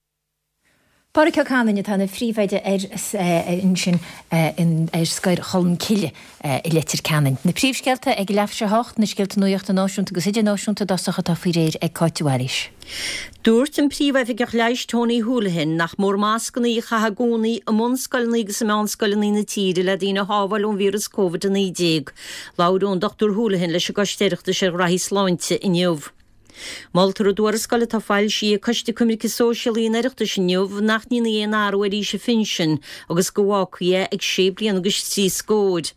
Pádraig Ó Canainn atá ina phríomhoide ar ansin ar Scoil Cholmcille i Leitir Ceanainn. Na príomhscéalta ag leathuair tar éis a hocht, na scéalta nuachta náisiúnta agus idirnáisiúnta i dtosach atá faoi réir ag Cáit de Bhailís. Dúirt an Príomhoifigeach Leighis Tony Holohan nach mór mascanna a chaitheamh i gcónaí i mbunscoileanna agus i meánscoileanna na tíre le daoine a shábháil ón víreas Covid a naoi déag. Labhair an Dochtúir Holohan leis an gCoiste Oireachtais ar Ghraithí Sláinte inniu. Moltar i dtuarascáil atá foilsithe ag Coiste Coimirce Sóisialaí an Oireachtais inniu nach ndéanfaí aon athrú ar aois an phinsin agus go bhfágfaí é ag sé bliana agus trí scór.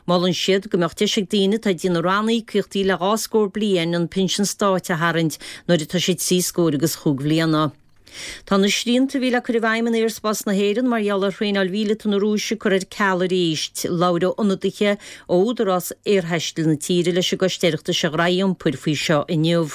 Molann siad go mbeadh deis ag daoine atá ag déanamh ranníocaíochtaí le dhá scór bliain an pinsean stáit a tharraingt nuair atá siad trí scór agus chúig bhliana. Tá na srianta a bhí le cur i bhfeidhm in aerspás na hÉireann mar gheall ar thraenáil mhíleata na Rúise curtha ar ceal arís. Labhair ionadaithe ó Údarás Aerthaistil na tíre leis an gCoiste Oireachtais ar Ghraithí Iompair faoi seo inniu.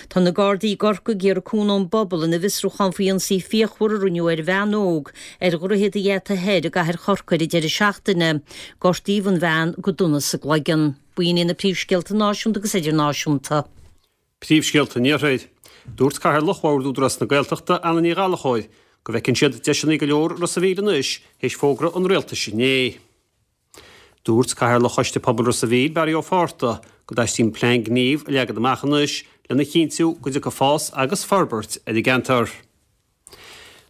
Tá na Gardaí i gCorcaigh ag iarraidh cúnamh ón bpobal ina bhfiosrúchán faoi ionsaí fíochmhar a rinneadh ar bhean óg ar Dhroichead an Gheata Thoir i gcathair Chorcaí ar an deireadh seachtaine. Gortaíodh an bhean go dona sa gcloigeann. B'in iad na príomhscéalta náisiúnta agus idirnáisiúnta. Príomhscéalta an Iarthair. Dúirt Cathaoirleach Bhord Údarás na Gaeltachta, Anna Ní Ghallchóir, go bhfeiceann siad deiseanna go leor i Ros a' Mhíl anois théis fógra an Rialtais inné. Dúirt Cathaoirleach Choiste Pobail Ros a' Mhíl, Barry Ó Fátharta, go dteastaíonn plean gnímh a leagan amach anois lena chinntiú go dtiocfaidh fás agus forbairt ar an gceantar.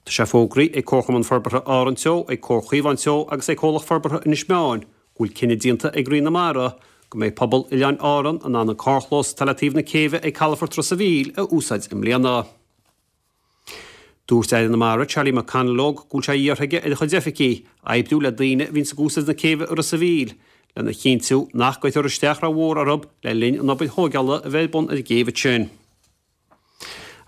Tá sé fógraithe ag Comharchumann Forbartha Árann Teo, ag Comhar Chaomhán Teo agus ag Comhlacht Forbartha Inis Meáin go bhfuil cinneadh déanta ag Roinn na Mara go mbeidh pobal Oileáin Árann in ann an carrchlós atá le taobh na céibhe ag Calafort Ros a' Mhíl a úsáid i mbliana. Dúirt Aire na Mara Charlie McConalogue go bhfuil sé iarrtha aige ar a chuid oifigí oibriú le daoine a bhíonns ag úsáid na céibhe i Ros a' Mhíl lena chinntiú nach gcuirfear isteach rómhór orthu le linn an obair thógála a bheidh ar bun ar an gcéibh ansin.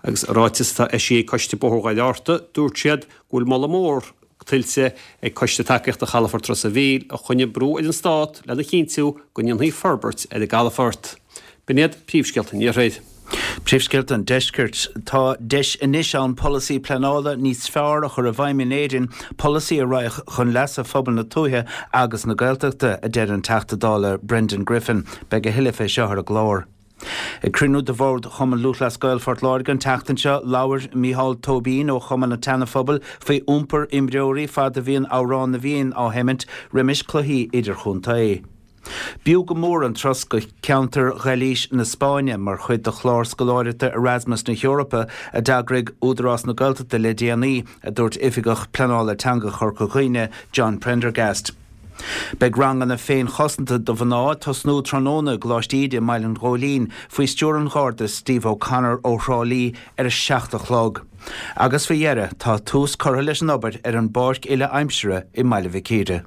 Agus i ráiteas atá eisithe ag Coiste Bóthar Dhoire Fhatharta, dúirt siad go bhfuil moladh mór tuillte ag Coiste Tacaíochta Chalafort Ros a' Mhíl a choinnigh brú ar an Stát lena chinntiú go ndéanfaí forbairt ar an gcalafort. B'in iad príomhscéalta an Iarthair. Príomhscéalta an Deiscirt. Tá deis anois ann polasaí pleanála níos fearr a chur i bhfeidhm in Éirinn, polasaí a raghadh chun leasa phobal na tuaithe agus na Gaeltachta, a deir an Teachta Dála Brendan Griffin. Beidh a thuilleadh fé seo ar an gclár. Ag cruinniú de bhord Chumann Lúthchleas Gael Phort Láirge an tseachtain seo, labhair Micheál Tóibín ó Chumann an tSeana-Phobail faoi iompar imreoirí fad a bhíonn Amhrán na bhFiann á sheimint roimis cluichí idirchontae. B'fhiú go mór an turas go ceantar Ghailís na Spáinne mar chuid de chlár scoláireachta Erasmus na hEorpa a d'eagraigh Údarás na Gaeltachta le déanaí, a dúirt Oifigeach Pleanála Teanga Chorca Dhuibhne, John Prendergast. Beidh ranganna féinchosanta do mhná ag tosnú tráthnóna i gColáiste Íde i mBaile an Ghóilín faoi stiúir an Gharda Steve O'Connor ó Thrá Lí ar a seacht a chlog. Agus faoi dheireadh, tá tús curtha leis an obair ar an bpáirc uile-aimsire i mBaile Mhic Íre.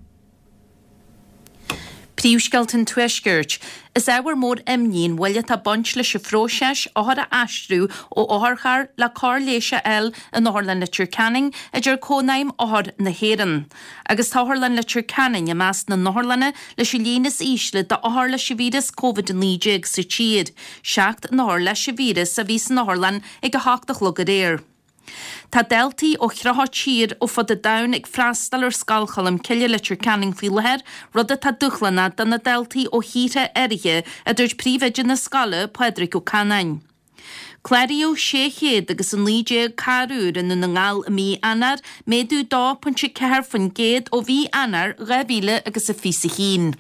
Príomhscéalta an Tuaiscirt. Is ábhar mór imní an mhoill atá ag baint leis an phróiseas othair a aistriú ó otharcharr le cóir leighis a fháil in Otharlann Leitir Ceanainn, a deir Cónaidhm Othar na hÉireann. Agus tá Otharlann Leitir Ceanainn i measc na n-otharlanna leis an líon is ísle d'othair leis an víreas Covid a naoi déag sa tír. Seacht n-othar leis an víreas a bhí san otharlann ag a hocht a chlog aréir. Tá daltaí ó thríocha tír ó fud an domhain ag freastal ar Scoil Cholmcille Leitir Ceanainn faoi láthair, rud atá dúshlánach do na daltaí ó thíortha áirithe, a dúirt príomhoide na scoile, Pádraig Ó Canáin. Cláraíodh sé chéad agus a naoi déag carr úr i nDún na nGall i mí Eanáir, méadú dó pointe ceathair faoin gcéad ó mhí Eanáir dhá mhíle agus a fiche a haon.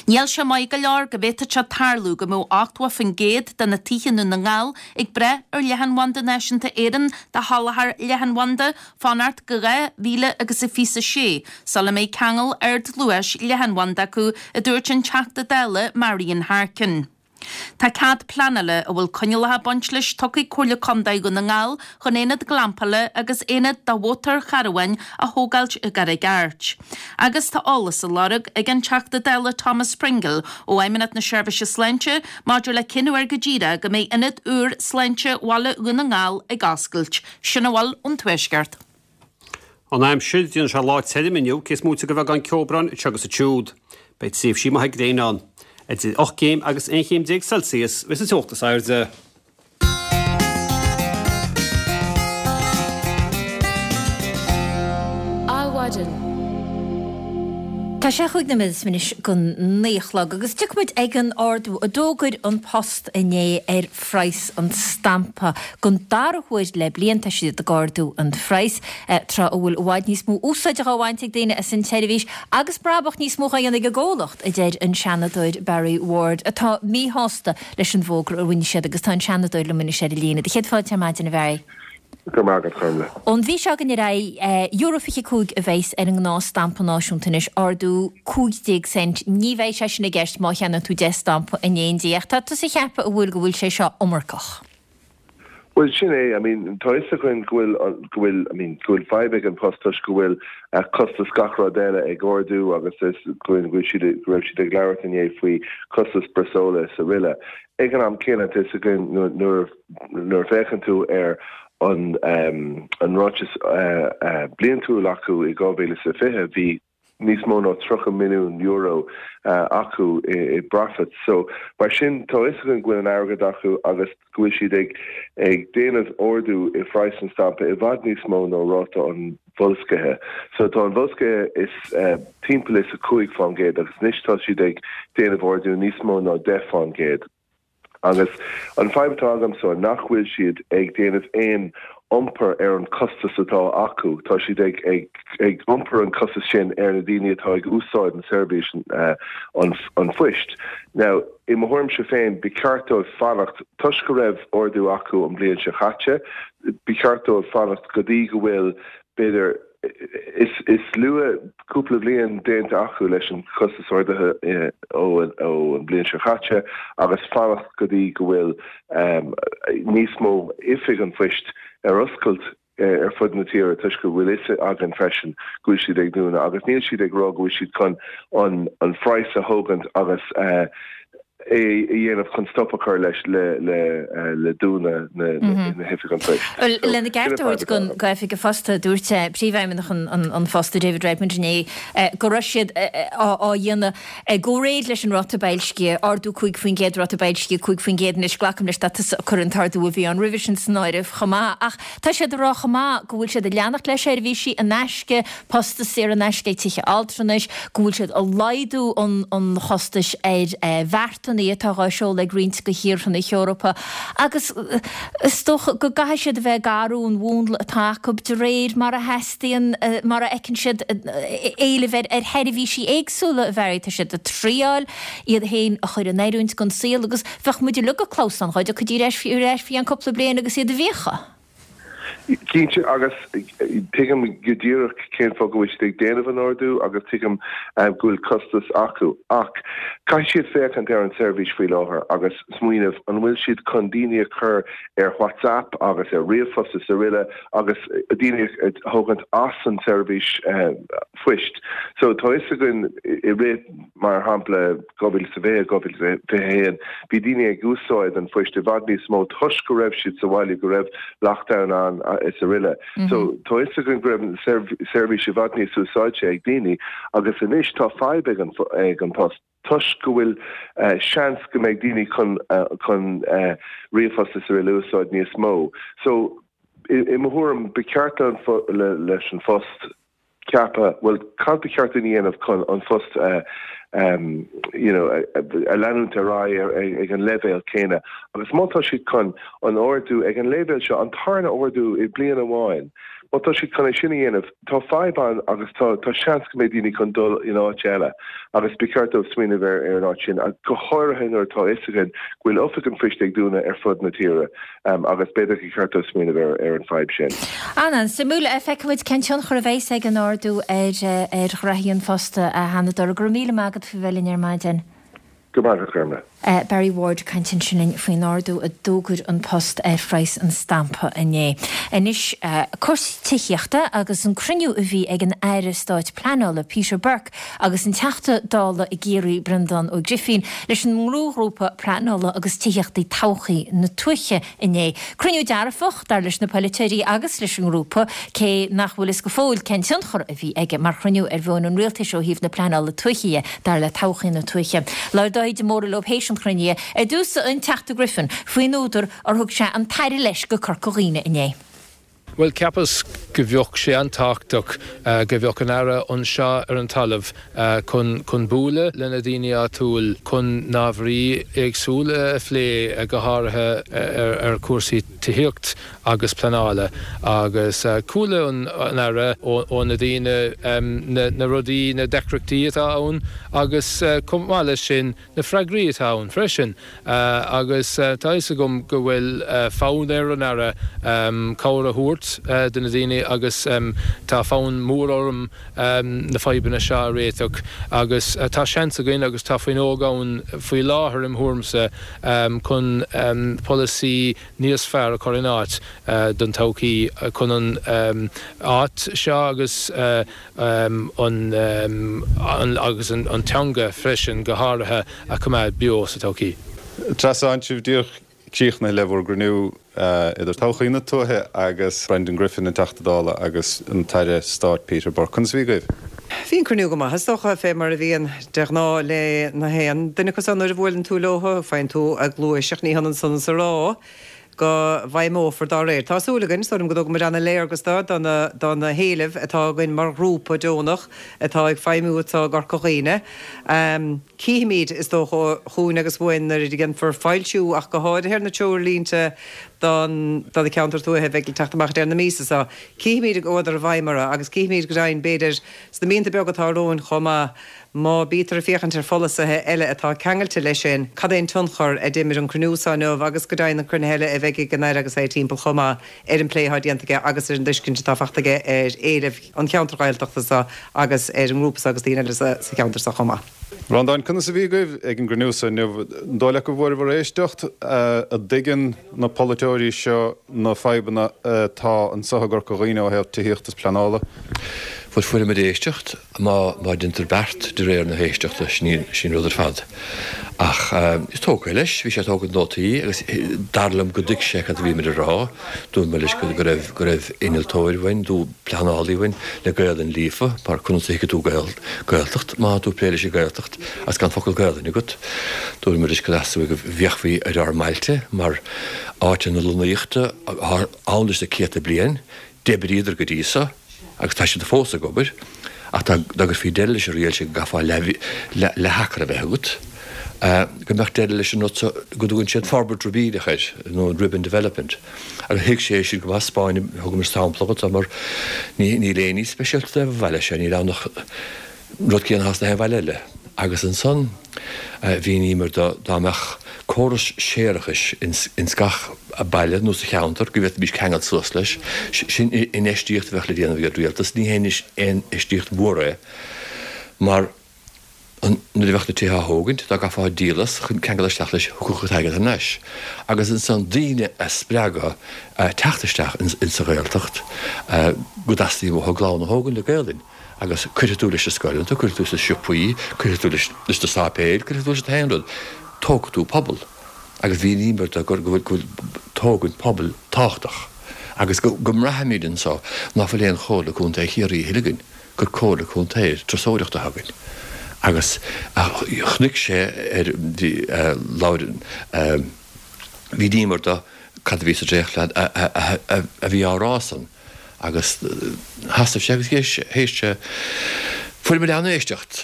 Níl sé maith go leor go bhféadfadh sé tarlú go mbeadh ochtó faoin gcéad de na tithe i nDún na nGall ag brath ar Leathanbhanda Náisiúnta Éireann do sholáthar leathanbhanda fanacht go dhá mhíle agus a fiche a sé sula mbeidh ceangal ardluais leathanbhanda acu, a dúirt an Teachta Dála Marian Harkin. Tá cead pleanála a bhfuil coinníollacha ag baint leis tugtha ag Comhairle Contae Dhún na nGall chun aonad glampála agus aonad do mhótarcharabháin a thógáilt i gCarraig Airt. Agus tá eolas á lorg ag an Teachta Dála Thomas Pringle ó Fheidhmeannacht na Seirbhíse Sláinte maidir le cén uair go díreach go mbeidh ionad úr sláinte Bhaile Dhún na nGall ag oscailt. Sin a bhfuil ón Tuaisceart. An aimsir, déanfaidh sé lá tirim inniu, cé is móite de bheagán ceobhráin anseo agus ansiúd. Beidh tréimhsí maithe gréine ann. Idir ocht gcéim agus aon chéim déag Celsius a bheas an teocht is airde. Adhmhaidin. Tá sé chúig nóiméad is anois go naoi a chlog agus tiocfaidh muid ag an ardú a d'fhógair An Post inné ar phraghas an stampa. Don dara huair le bliain tá siad ag ardú an phraghas, tráth a bhfuil i bhfad níos mó úsáide á bhaint ag daoine as an tseirbhís agus brabach níos mó á dhéanamh ag an gcomhlacht, a deir an Seanadóir Barry Ward, atá míshásta leis an bhfógra a rinne siad agus tá an Seanadóir liom anois ar an líne. Céad fáilte ar maidin, a Bharry. Go raibh maith agat, Gormlaith. Ón mhí seo chugainn ar aghaidh, euro fiche cúig a bheas ar an ngnáth-stampa náisiúnta anois, ardú cúig déag cent. Ní bheidh sé sin i gceist má cheannaíonn tú deich stampa in éindí. Ach tá tusa ag ceapadh, an bhfuil, go bhfuil sé seo iomarcach? Bhuel, sin é. I mean, tá fhios againn go bhfuil, go bhfuil, I mean, go bhfuil fadhb ag an Post toisc go bhfuil costas gach rud eile ag ardú agus is go bhfuil siad, go raibh siad ag labhairt inné faoi costas breosla is araile. Ag an am céanna, tá fhios againn nuair, nuair a féachann tú ar an, an ráiteas bliantúil acu i dhá mhíle is a fiche, bhí níos mó ná tríocha milliún euro acu i bprofit. So, mar sin, tá fhios againn go bhfuil an airgead acu agus go bhfuil siad ag ag déanamh ardú i phraghas an stampa i bhfad níos mó ná ráta an bhoilscithe. So, tá an bhoilscithe is timpeall is a cúig fán gcéad agus anois tá siad ag déanamh ardú níos mó ná deich fán gcéad. Agus an fadhb atá agamsa nach bhfuil siad ag déanamh aon iompar ar an costas atá acu. Tá siad ag ag iompar an costas sin ar na daoine atá ag úsáid an seirbhís an an phoist. Now, i mo thuairimse féin, ba cheart dóibh fanacht, toisc go raibh ardú acu an bhliain seo chaite, ba cheart dóibh fanacht go dtí go bhfuil b'fhéidir is is luath cúpla bliain déanta acu leis an chostas ardaithe ó an bhliain seo chaite agus fanacht go dtí go bhfuil níos mó oifig an phoist ar oscailt ar fud na tíre toisc go bhfuil fhios againn freisin go bhfuil siad ag dúnadh agus níl siad ag rá go bhfuil siad chun an an phraghas a thógaint agus é a dhéanamh chun stop a chur leis le dúnadh na hoifig an phoist. Bhuel, lena gceart a thabhairt don Oifig an Phoist, dúirt Príomhfheidhmeannach an Phosta, David Redmond inné, go raibh siad á dhéanamh i gcomhréir leis an ráta boilscithe, ardú cúig faoin gcéad, ráta boilscithe cúig faoin gcéad anois, glacaim leis tá tusa ag cur an t-ardú a bhí ann roimhe sin san áireamh chomh maith. Ach tá siad ag rá chomh maith go bhfuil siad ag leanacht le seirbhísí in aisce, postas saor in aisce ag tithe altranais, go bhfuil siad ag laghdú an chostais ar bheartanna atá á seoladh ag roinnt de thíortha na hEorpa agus is dócha go gcaithfidh siad a bheith ag athrú an mhúnla atá acu de réir mar a theastaíonn, mar a fheiceann siad éileamh ar sheirbhísí éagsúla a bheith. Tá siad ag triáil iad féin a chur in oiriúint don saol agus bheadh muid uilig ag clamhsán dhá dtiocfaidís ar ais ar ais faoi cheann cúpla bliain agus iad i bhfiacha. Cinnte agus tuigim go díreach cén fáth go bhfuil siad ag déanamh an ardú agus tuigim go bhfuil costas acu ach caithfidh siad féachaint ar an seirbhís faoi láthair agus smaoineamh an bhfuil siad chun daoine a chur ar WhatsApp agus ar ríomhphost is araile agus daoine a thógaint as an seirbhís phoist. So tá fhios againn i rith mar shampla dhá mhíle is a fiche, dhá mhíle is fiche a haon, bhí daoine ag úsáid an phoist i bhfad níos mó toisc go raibh siad sa bhaile, go raibh lockdown ann is araile. So tá fhios againn go raibh an seirbhís i bhfad níos úsáidte ag daoine agus anois tá fadhb ag an ag an post toisc go bhfuil seans go mbeidh daoine chun chun ríomhphost is araile a úsáid níos mó. So i i mo thuairim ba cheart le leis an phost ceapadh, bhuel cad ba cheart dúinn a dhéanamh chun an phost a you know, a leanúint ar aghaidh ag an leibhéal céanna agus má tá siad chun an ardú ag an leibhéal seo, an tarna ardú i bliain amháin, má tá siad chun é sin a dhéanamh, tá fadhb ann agus tá tá seans go mbeidh daoine chun dul in áit eile agus ba cheart dóibh smaoineamh ar ar an áit sin, go háirithe nuair atá fhios againn go bhfuil oifig an phoist ag dúnadh ar fud na tíre agus b'fhéidir gur cheart dóibh smaoineamh ar ar an fadhb sin. An-suimiúil. Feicfimid cén tionchar a bheas ag an ardú ar ar ghraithí an phosta, a Sheanadóir. Go raibh míle maith agat faoi bheith linn ar maidin. Go raibh maith agat, Gormlaith. Barry Ward ag caint ansin linn faoin ardú a d'fhógair An Post ar phraghas an stampa inné. Anois, cúrsaí tithíochta agus an cruinniú a bhí ag an Aire Stáit Pleanála, Peter Burke, agus an Teachta Dála i gCiarraí, Breandán Ó Grifín, leis an ngnóghrúpa Pleanála agus Tithíochta Todhchaí na Tuaithe inné. Cruinniú dearfach, dar leis na polaiteoirí agus leis an ngrúpa, cé nach bhfuil fhios go fóill cén tionchar a bhí aige mar chruinniú ar mheon an rialtais ó thaobh na pleanála tuaithe dhe, dar le Todhchaí na Tuaithe. Labhair Dáithí de Mórdha leo théis an chruinnithe. Ar dtús, an Teachta Griffin, faoin údar ar thug sé an tAire leis go Corca Dhuibhne inné. Bhuel, cheapas go bheadh sé an-tábhachtach go bheadh an Aire anseo ar an talamh chun chun bualadh le na daoine áitiúil, chun na hábhairí éagsúla a phlé, go háirithe ar chúrsaí tithíocht agus pleanála. Agus chuala an Aire ó na daoine na rudaí, na deacrachtaí atá ann agus chomh maith leis sin na freagraí atá ann freisin. Agus tá fhios agam go bhfuil fonn ar an Aire cabhair a thabhairt do na daoine agus tá fonn mór orm na fadhbanna seo a réiteach agus tá seans againn agus tá fuinneog ann faoi láthair im thuairimse chun polasaí níos fearr a chur in áit don todhchaí chun an áit seo agus an agus an teanga freisin go háirithe a choimeád beo sa todhchaí. Treasa, tá sibh díreach críochnaithe le bhur gcruinniú idir Todhchaí na Tuaithe agus Brendan Griffin, an Teachta Dála, agus an tAire Stáit Peter Burke. Conas a bhí agaibh? Bhí an cruinniú go maith, is dócha, fé mar a bhíonn de ghnáth le na haon duine acu san nuair a bhuaileann tú leo, faigheann tú cluais ach ní hionann san is a rá go bhfeidhmeofar dá réir. Tá súil againn, is dóigh liom go dtug muid ana-léargas do do na do na héilimh atá againn mar ghrúpa deonach atá ag feidhmiú anseo i gCorca Dhuibhne. Cífimid, is dócha, chugainn agus uainn nuair a dhéanfar foilsiú ach go háirithe ar na treoirlínte don do na ceantair tuaithe a bheidh le teacht amach ag deireadh na míosa seo. Cífimid an gcuadar i bhfeidhm orthu agus cífimid go deimhin, b'fhéidir, sna míonna beaga atá romhainn chomh maith, má bítear ag féachaint ar pholasaithe eile atá ceangailte leis sin, cad é an tionchar a d'imir an cruinniú seo inniu agus go deimhin na cruinnithe eile a bheidh ag an Aire agus é timpeall chomh maith ar an bplé atá déanta aige agus ar an dtuiscint atá faighte aige ar éilimh an cheantair Ghaeltachta seo agus ar an ngrúpa seo agus daoine eile sa cheantar seo chomh maith. Breandán, conas a bhí agaibh ag an gcruinniú seo inniu? An dóigh leat go bhfuaireabhair éisteacht? An dtuigeann na polaiteoirí seo na fadhbanna atá anseo i gCorca Dhuibhne ó thaobh tithíochta is pleanála? Bhuel, fuaireamar éisteacht, má má déantar beart de réir na héisteachta, sin í sin rud ar fad. Ach is tógtha leis, bhí sé ag tógaint nótaí agus dar liom go dtuig sé cad a bhíomar a rá. Dúirt mé leis go go raibh go raibh innealtóir uainn, nó pleanálaí uainn le Gaelainn líofa, mar conas a thuigfidh tú Gael Gaeltacht má tá tú ag plé leis an Ghaeltacht agus gan focal Gaelainne agat. Dúirt mé leis go dteastaigh go bhféachfaí ar ár mbailte mar áiteanna lonnaíochta atá ann leis na céadta bliain, d'oibríodar go dtí so agus tá siad fós ag obair, ach dá gcuirfí deireadh leis an riail sin go gcaithfeá leath-acra a bheith agat, go mbeadh deireadh leis an rud so go dtugann siad forbairt ribíneach air, nó ribbon development. Agus thuig sé sin go maith, 'spáin, thugamar sampla dhuit mar níl éinní speisialta ar an bhaile seo, níl ann ach rud céanna atá sna haon bhaile eile. Agus ansan mhíníomar dó dá mbeadh córas séarachais ins gach baile nó sa cheantar go bhféadfaimís ceangal suas leis. Sin infheistíocht a bheadh le déanamh ag an rialtas. Ní haon infheistíocht mhór é mar nuair a bheadh na tithe á thógaint, dá gcaithfeá díol as chun ceangal isteach leis, thiocfadh an t-airgead thar n-ais. Agus ansan daoine a spreagadh teacht isteach insa Ghaeltacht go dteastaíonn uathu a gclann a thógaint le Gaelainn. Agus cuirfidh tú leis na scoileanna, cuirfidh tú leis na siopaí, cuirfidh tú leis na sáipéil, cuirfidh tú leis na haon rud. Tógfaidh tú pobal. Agus mhíníomar dó go bhfuil tógaint pobail tábhachtach. Agus go mbraithimid anso ná fuil aon Chomhairle Contae Chiarraí a thuilleadh againn, gur Comhairle Contae turasóireachta atá againn. Agus chonaic sé ar, labhair, mhíníomar dó cad a bhí sa dréachtphlean a bhí á rá san agus sheasaimh sé agus théis sé, fuair muid an-éisteacht.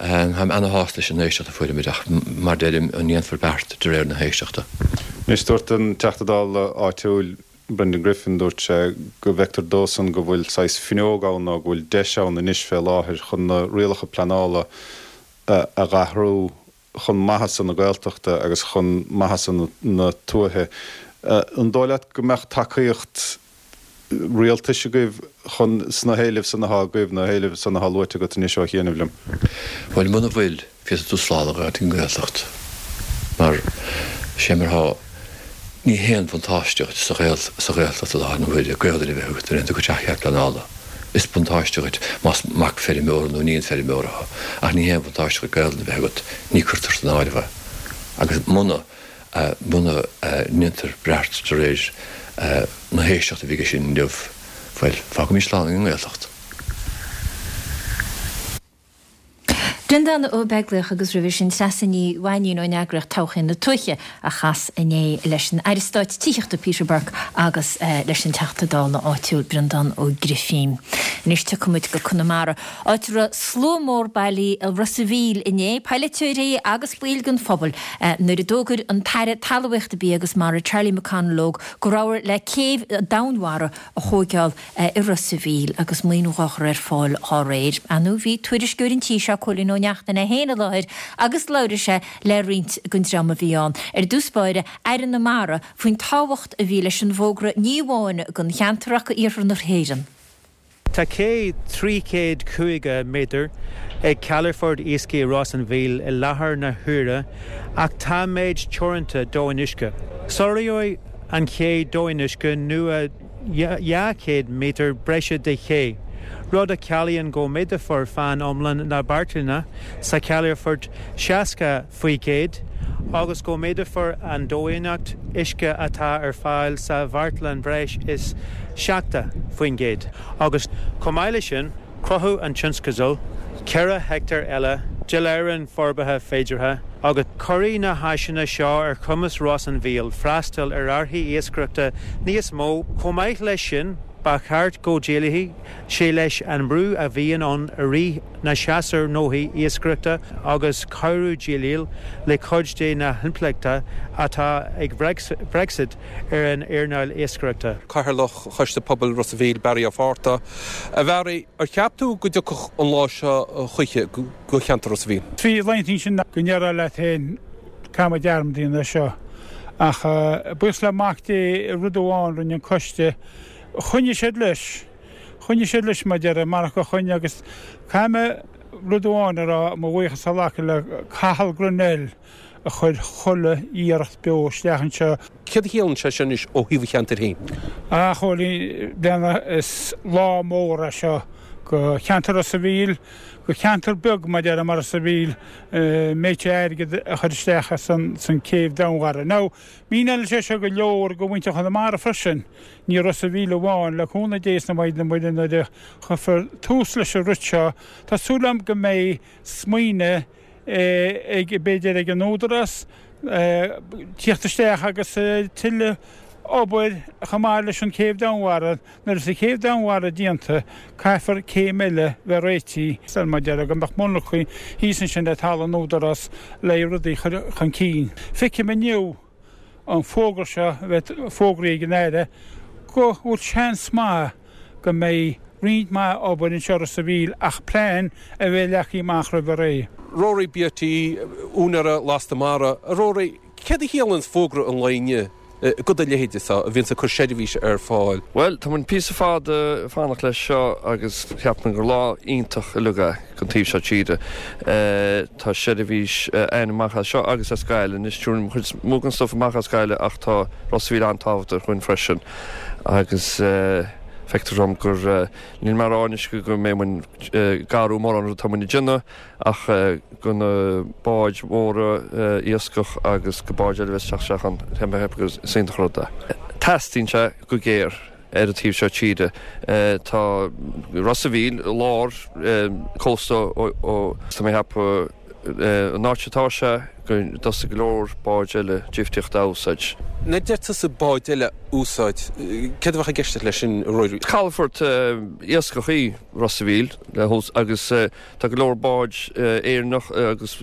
Táim ana-shásta leis an éisteacht a fuair muid ach mar deirim, an ndéanfar beart de réir na héisteachta? Anois dúirt an Teachta Dála áitiúil Brendan Griffin, dúirt sé go bhfeictear dósan go bhfuil saghas fuinneog ann nó go bhfuil deis ann anois fé láthair chun na rialacha pleanála a dh'athrú chun maitheasa na Gaeltachta agus chun maitheasa na tuaithe. An dóigh leat go mbeadh tacaíocht rialtais agaibh chun sna héilimh san atá agaibh, na héilimh san atá luaite agat anois ó chianaibh liom? Bhuel, muna bhfuil, féadfaidh tú slán a ghabháil ag an nGaeltacht. Mar, sé mar atá, ní haon bhuntáiste dhuit sa Ghaeltacht i láthair na huaire Gaolainn a bheith agat nuair a théann tú go teach cead pleanála. Is buntáiste dhuit más mac feirmeora nó iníon feirmeora thú, ach ní haon bhuntáiste dhuit Gaolainn a bheith agat, ní cuirtear san áireamh é. Agus muna, muna ndéantar beart de réir na héisteachta a bhí aige sin inniu, bhuel, fágfaimid slán ag an nGaeltacht. Breandán Ó Beaglaoich agus roimhe sin Treasa Ní Mhainín ón eagraíocht Todhchaí na Tuaithe a chas inné leis an Aire Stáit Tithíochta Peter Burke agus leis an Teachta Dála áitiúil Breandán Ó Grifín. Anois tiocfaidh muid go Conamara, áit a raibh slua mór bailithe i Ros a' Mhíl inné, polaiteoirí agus baill den phobal, nuair a d'fhógair an tAire Talmhaíochta Bia agus Mara Charlie McConalogue go rabhthar le céibh domhainmhara a thóigeáil i Ros a' Mhíl agus maoiniú dhá chur ar fáil dhá réir. Ar ndóigh bhí tuairisceoir an tí seo, Cóilín Ó Neachtain é féin i láthair agus labhair sé le roinnt den dream a bhí ann. Ar dtús báire, Aire na Mara, faoin tábhacht a bhí leis an bhfógra ní amháin don cheantar ach d'iarthar na hÉireann. Tá cé trí chéad caoga méadar ag Calafort Iascaigh Ros an Mhíl i láthair na huaire ach tá méid teoranta domhainuisce. Soláthróidh an ché domhainuisce nua dhá chéad méadar breise de ché, rud a chiallaíonn go méadófar fán iomlán na beartlainne sa chalafort seasca faoi gcéad agus go méadófar an domhainneacht uisce atá ar fáil sa bheartlann breis is seachtó faoin gcéad agus chomh maith leis sin cruthóidh an tionscadal ceithre heicteár eile de láithreán forbartha féideartha agus cuirfidh na háiseanna seo ar chumas Ros an Mhíl freastal ar árthaí iascaireachta níos mó. Chomh maith leis sin, ba cheart go ndéileálfaidh sé leis an mbrú a bhíonn ann i rith na séasúr gnóthaí iascaireachta agus cabhrú déileáil le cuid de na himpleachtaí atá ag Brexit ar an earnáil iascaireachta. Cathaoirleach Choiste Pobail Ros a' Mhíl, Barry Ó Fátharta. A Bharry, ar cheap tú go dtiocfadh an lá seo choíche go cheantar Ros a' Mhíl? Trí laethanta ansin go ndéarfá leat féin caithfidh muid dearmad a dhéanamh de seo. Ach buíochas le Mac Dé rud amháin rinne an coiste, choinnigh siad leis, choinnigh siad leis mar a déarfá, marach gur choinnigh agus caithfidh mé rud amháin a rá, mo bhuíochas a ghlacadh le Cathal Grennell a chuir chuile iarracht beo isteach anseo. Céard a chiallaíonn sé sin anois ó thaobh an cheantair féin? A Chóilín, bhuel is lá mór é seo go cheantar Ros a' Mhíl, go cheantar beag mar a déarfá mar Ros a' Mhíl, méid seo airgid a chur isteach san céibh domhainmhara. Now, míneoidh sé seo go leor go mhuintir Chonamara freisin, ní Ros a' Mhíl amháin, le cúnamh Dé is na Maighdine Muire nuair a chuirfear tús leis an rud seo, tá súil agam go mbeidh smaoineamh ag, b'fhéidir ag an Údarás, tíocht isteach agus tuilleadh obair chomh maith leis an céibh domhainmhara. Nuair is an chéibh domhainmhara déanta, caithfear céim eile bheith réitithe. Mar a déarfá go mbeadh monarcha thíos ansin le talamh an Údarás le rudaí a chur chun cinn. Feicim inniu an fógra seo a bheith fógraithe ag an Aire go bhfuil seans maith go mbeidh roinnt mhaith obair anseo i Ros a' Mhíl ach plean a bheith leagtha amach roimh ré. Rory Beattie, úinéara Lasta Mara, A Rory, céard a chiallaíonn fógra an lae inniu go do leithéide seo a bhíonns ag cur seirbhíse ar fáil? Bhuel, tá muid píosa fada ag fanacht leis seo agus ceapaim gur lá iontach uilig é don taobh seo tíre. Tá seirbhís ann amach as seo agus as Gaillimh. Anois tabharann an chuid is mó den stuif amach as Gaillimh ach tá Ros a' Mhíl an-tábhachtach dhúinn freisin agus feictear dom gur, níl mé ag rá anois go mbeidh muid ag athrú mórán rud atá muid ag déanamh ach go na báid mhóra iascach agus go báid eile a bheith ag teacht isteach ann, tá mé ag ceapadh gur is iontach an rud é. Teastaíonn sé go géar ar an taobh seo tíre. Tá Ros a' Mhíl i lár cósta ó, tá mé ag ceapadh, an áit atá sé, go dtosóidh go leor báid eile difríochta a úsáid. Nuair a deir tusa báid eile a úsáid, céard a bheadh i gceist leis sin, a Ruairí? Calafort iascach í Ros a' Mhíl agus tá go leor báid Éireannach agus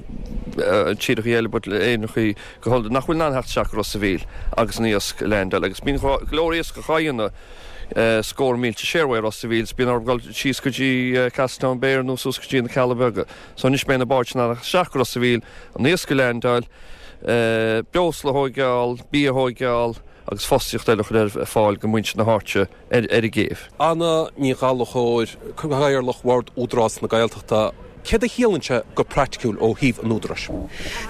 tíorthacha eile but Éireannacha go hiondúil nach bhfuil in ann theacht isteach go Ros a' Mhíl agus an iasc a leaindeáil agus bíonn go leor iascach á dhéanamh scór mílte siar uaidh Ros a' Mhíl is bíonn orthu dul síos go dtí Castletownbere nó suas go dtí na Cealla Beaga. So anois beidh na báid sin in ann isteach go Ros a' Mhíl, an iasc a leaindeáil, breosla a thóigeáil, bia a thóigeáil agus fostaíocht eile a chur ar fáil go muintir na háite ar an gcéibh. Anna Ní Ghallchóir, Cathaoirleach Bhord Údarás na Gaeltachta, Céard a chiallaíonn sé go praiticiúil ó thaobh an Údaráis?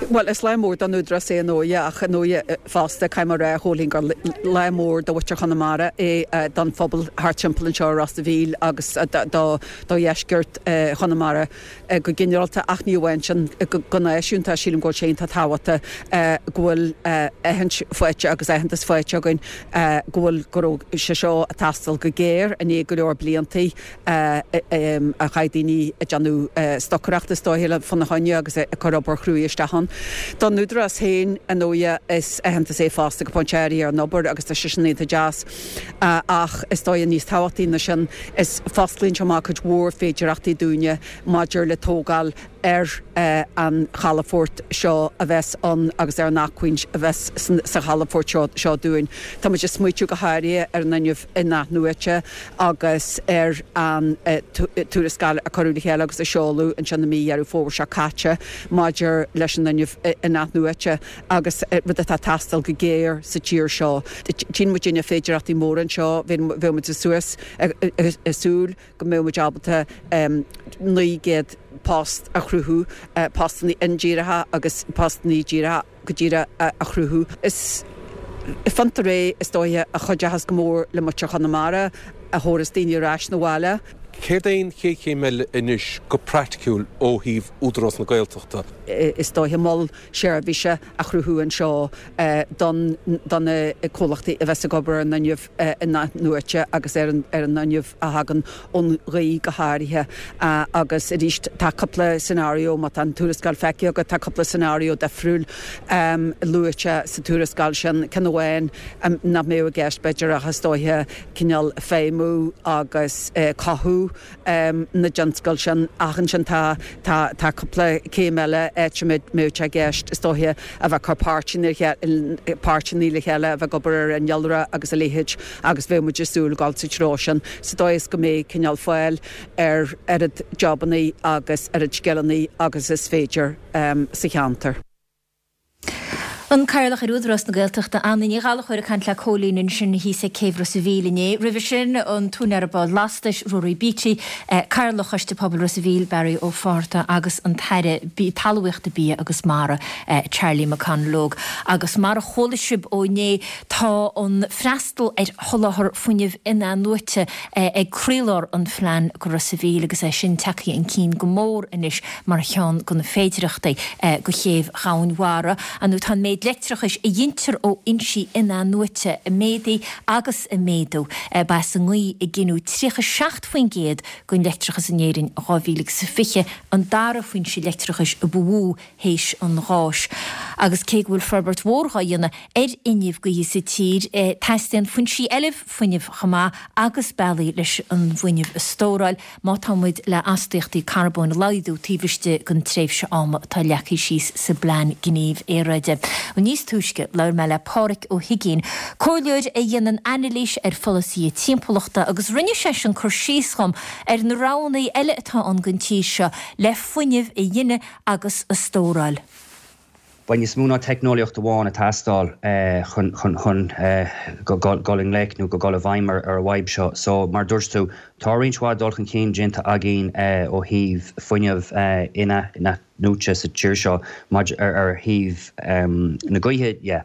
Bhuel, is lá mór don Údarás é ar ndóighe ach ar ndóighe fosta, caithfidh mé a rá, a Chóilín, gur lá mór do mhuintir Chonamara é, don phobal thart timpeall anseo i Ros a' Mhíl agus do dheisceart Chonamara go ginearálta ach ní amháin sin, go náisiúnta, sílim go bhfuil sé iontach tábhachtach go bhfuil aithint faighte agus aitheantas faighte againn go bhfuil, go raibh sé seo ag teastáil go géar i ndiaidh go leor bliantaí. a chaith daoine ag déanamh stocaireachta is dóiche le fána choinne agus ag cur obair chruaidh isteach ann. Don Údarás féin, ar ndóighe, is aitheantas é fosta go pointe áirithe ar an obair agus tá sé sin iontach deas ach is dóighe níos tábhachtaí ná sin is fosclaíonn sé amach cuid mhór féidireachtaí dúinne maidir le tógáil ar an chalafort seo a bheas ann agus ar an acmhainn a bheas sa chalafort seo dúinn. Tá muid ag smaoitiú go háirithe ar an fhuinneamh in-athnuaite agus ar an tuarascáil a cuireadh le chéile agus a seoladh ansin i mí Dheireadh Fómhair seo caite maidir leis an fhuinneamh in-athnuaite agus rud atá ag teastáil go géar sa tír seo. Tchíonn muidinne féidearthachtaí móra anseo, bheadh muid suas ag súil go mbeadh muid ábalta naoi gcéad post a chruthú, postanna indíreacha agus postanna díreacha go díreach a chruthú. Is fiontar é is dóiche a chuideochas go mór le muintir Chonamara, a thabharfas daoine ar ais 'na bhaile. Céard é an chéad chéim eile anois go praiticiúil ó thaobh Údarás na Gaeltachta? Is dóiche mol seirbhíse a chruthú anseo don do na comhlachtaí a bheas ag obair ar an fhuinneamh in-athnuaite agus ar an ar an fhuinneamh a thagann ón ghaoth go háirithe. Agus arís tá cúpla scenario, má tá an tuarascáil feicthe agat, tá cúpla scenario difriúil luaite sa tuarascáil sin, ceann amháin nach mbeadh i gceist b'fhéidir ach is dóiche cineál feidhmiú agus cothú na dtionscal sin ach ansin tá tá tá cúpla céim eile áit a mbeadh sé i gceist is dóiche a bheith ag cur páirteanna páirteanna le chéile, a bheith ag obair ar innealra agus a leithéid agus bheadh muid ag súil dul sa treo sin sa dóigh is go mbeidh cineál fáil ar oiread jobannaí agus oiread scileannaí agus is féidir sa cheantar. An Cathaoirleach ar Údarás na Gaeltachta, Anna Ní Ghallchóir ag caint le Cóilín ansin thíos ag Céibh Ros a' Mhíl inné. Roimhe sin, an t-úinéir bád lastais, Ruairí Beattie, Cathaoirleach Choiste Pobail Ros a' Mhíl, Barry Ó Fátharta agus an tAire Talmhaíochta, Bia agus Mara, Charlie McConalogue. Agus mar a chuala sibh ó inné, tá an freastal ar sholáthar fuinnimh in-athnuaite ag croílár an phlean go Ros a' Mhíl agus é sin tagtha chun cinn go mór anois mar cheann de na féidearthachtaí go Chéibh Dhomhain Mhara. Nó tá an méid leictreachais a ghintear ó fhoinsí in-athnuaite ag méadú agus ag méadú. Ba as an ngaoth a gineadh tríocha seacht faoin gcéad den leictreachas in Éirinn in dhá mhíle agus a fiche, an dara foinse leictreachais a ba mhó théis an gháis. Agus cé go bhfuil forbairt mhór dhá dhéanamh ar fhuinneamh gaoithe sa tír, teastaíonn foinsí eile fuinnimh chomh maith agus bealaí leis an bhfuinneamh a stóráil má tá muid le astaíochtaí carbóin a laghdú taobh istigh den tréimhse ama atá leagtha síos sa bPlean Gnímh Aeráide. Níos túisce labhair mé le Pádhraic Ó hUiginn, comhairleoir a dhéanann anailís ar pholasaithe timpeallachta agus rinne seisean cur síos dhom ar na roghanna eile atá ann don tír seo le fuinneamh a ghineadh agus a stóráil. Beidh níos mó ná teicneolaíocht amháin ag teastáil chun chun chun dul i ngleic nó go dul i bhfeidhm ar ar an bhfadhb seo. So mar dúirt tú, tá roinnt mhaith dul chun cinn déanta againn ó thaobh fuinneamh in-athnuaite sa tír seo maidir ar ar thaobh na gaoithe dhe.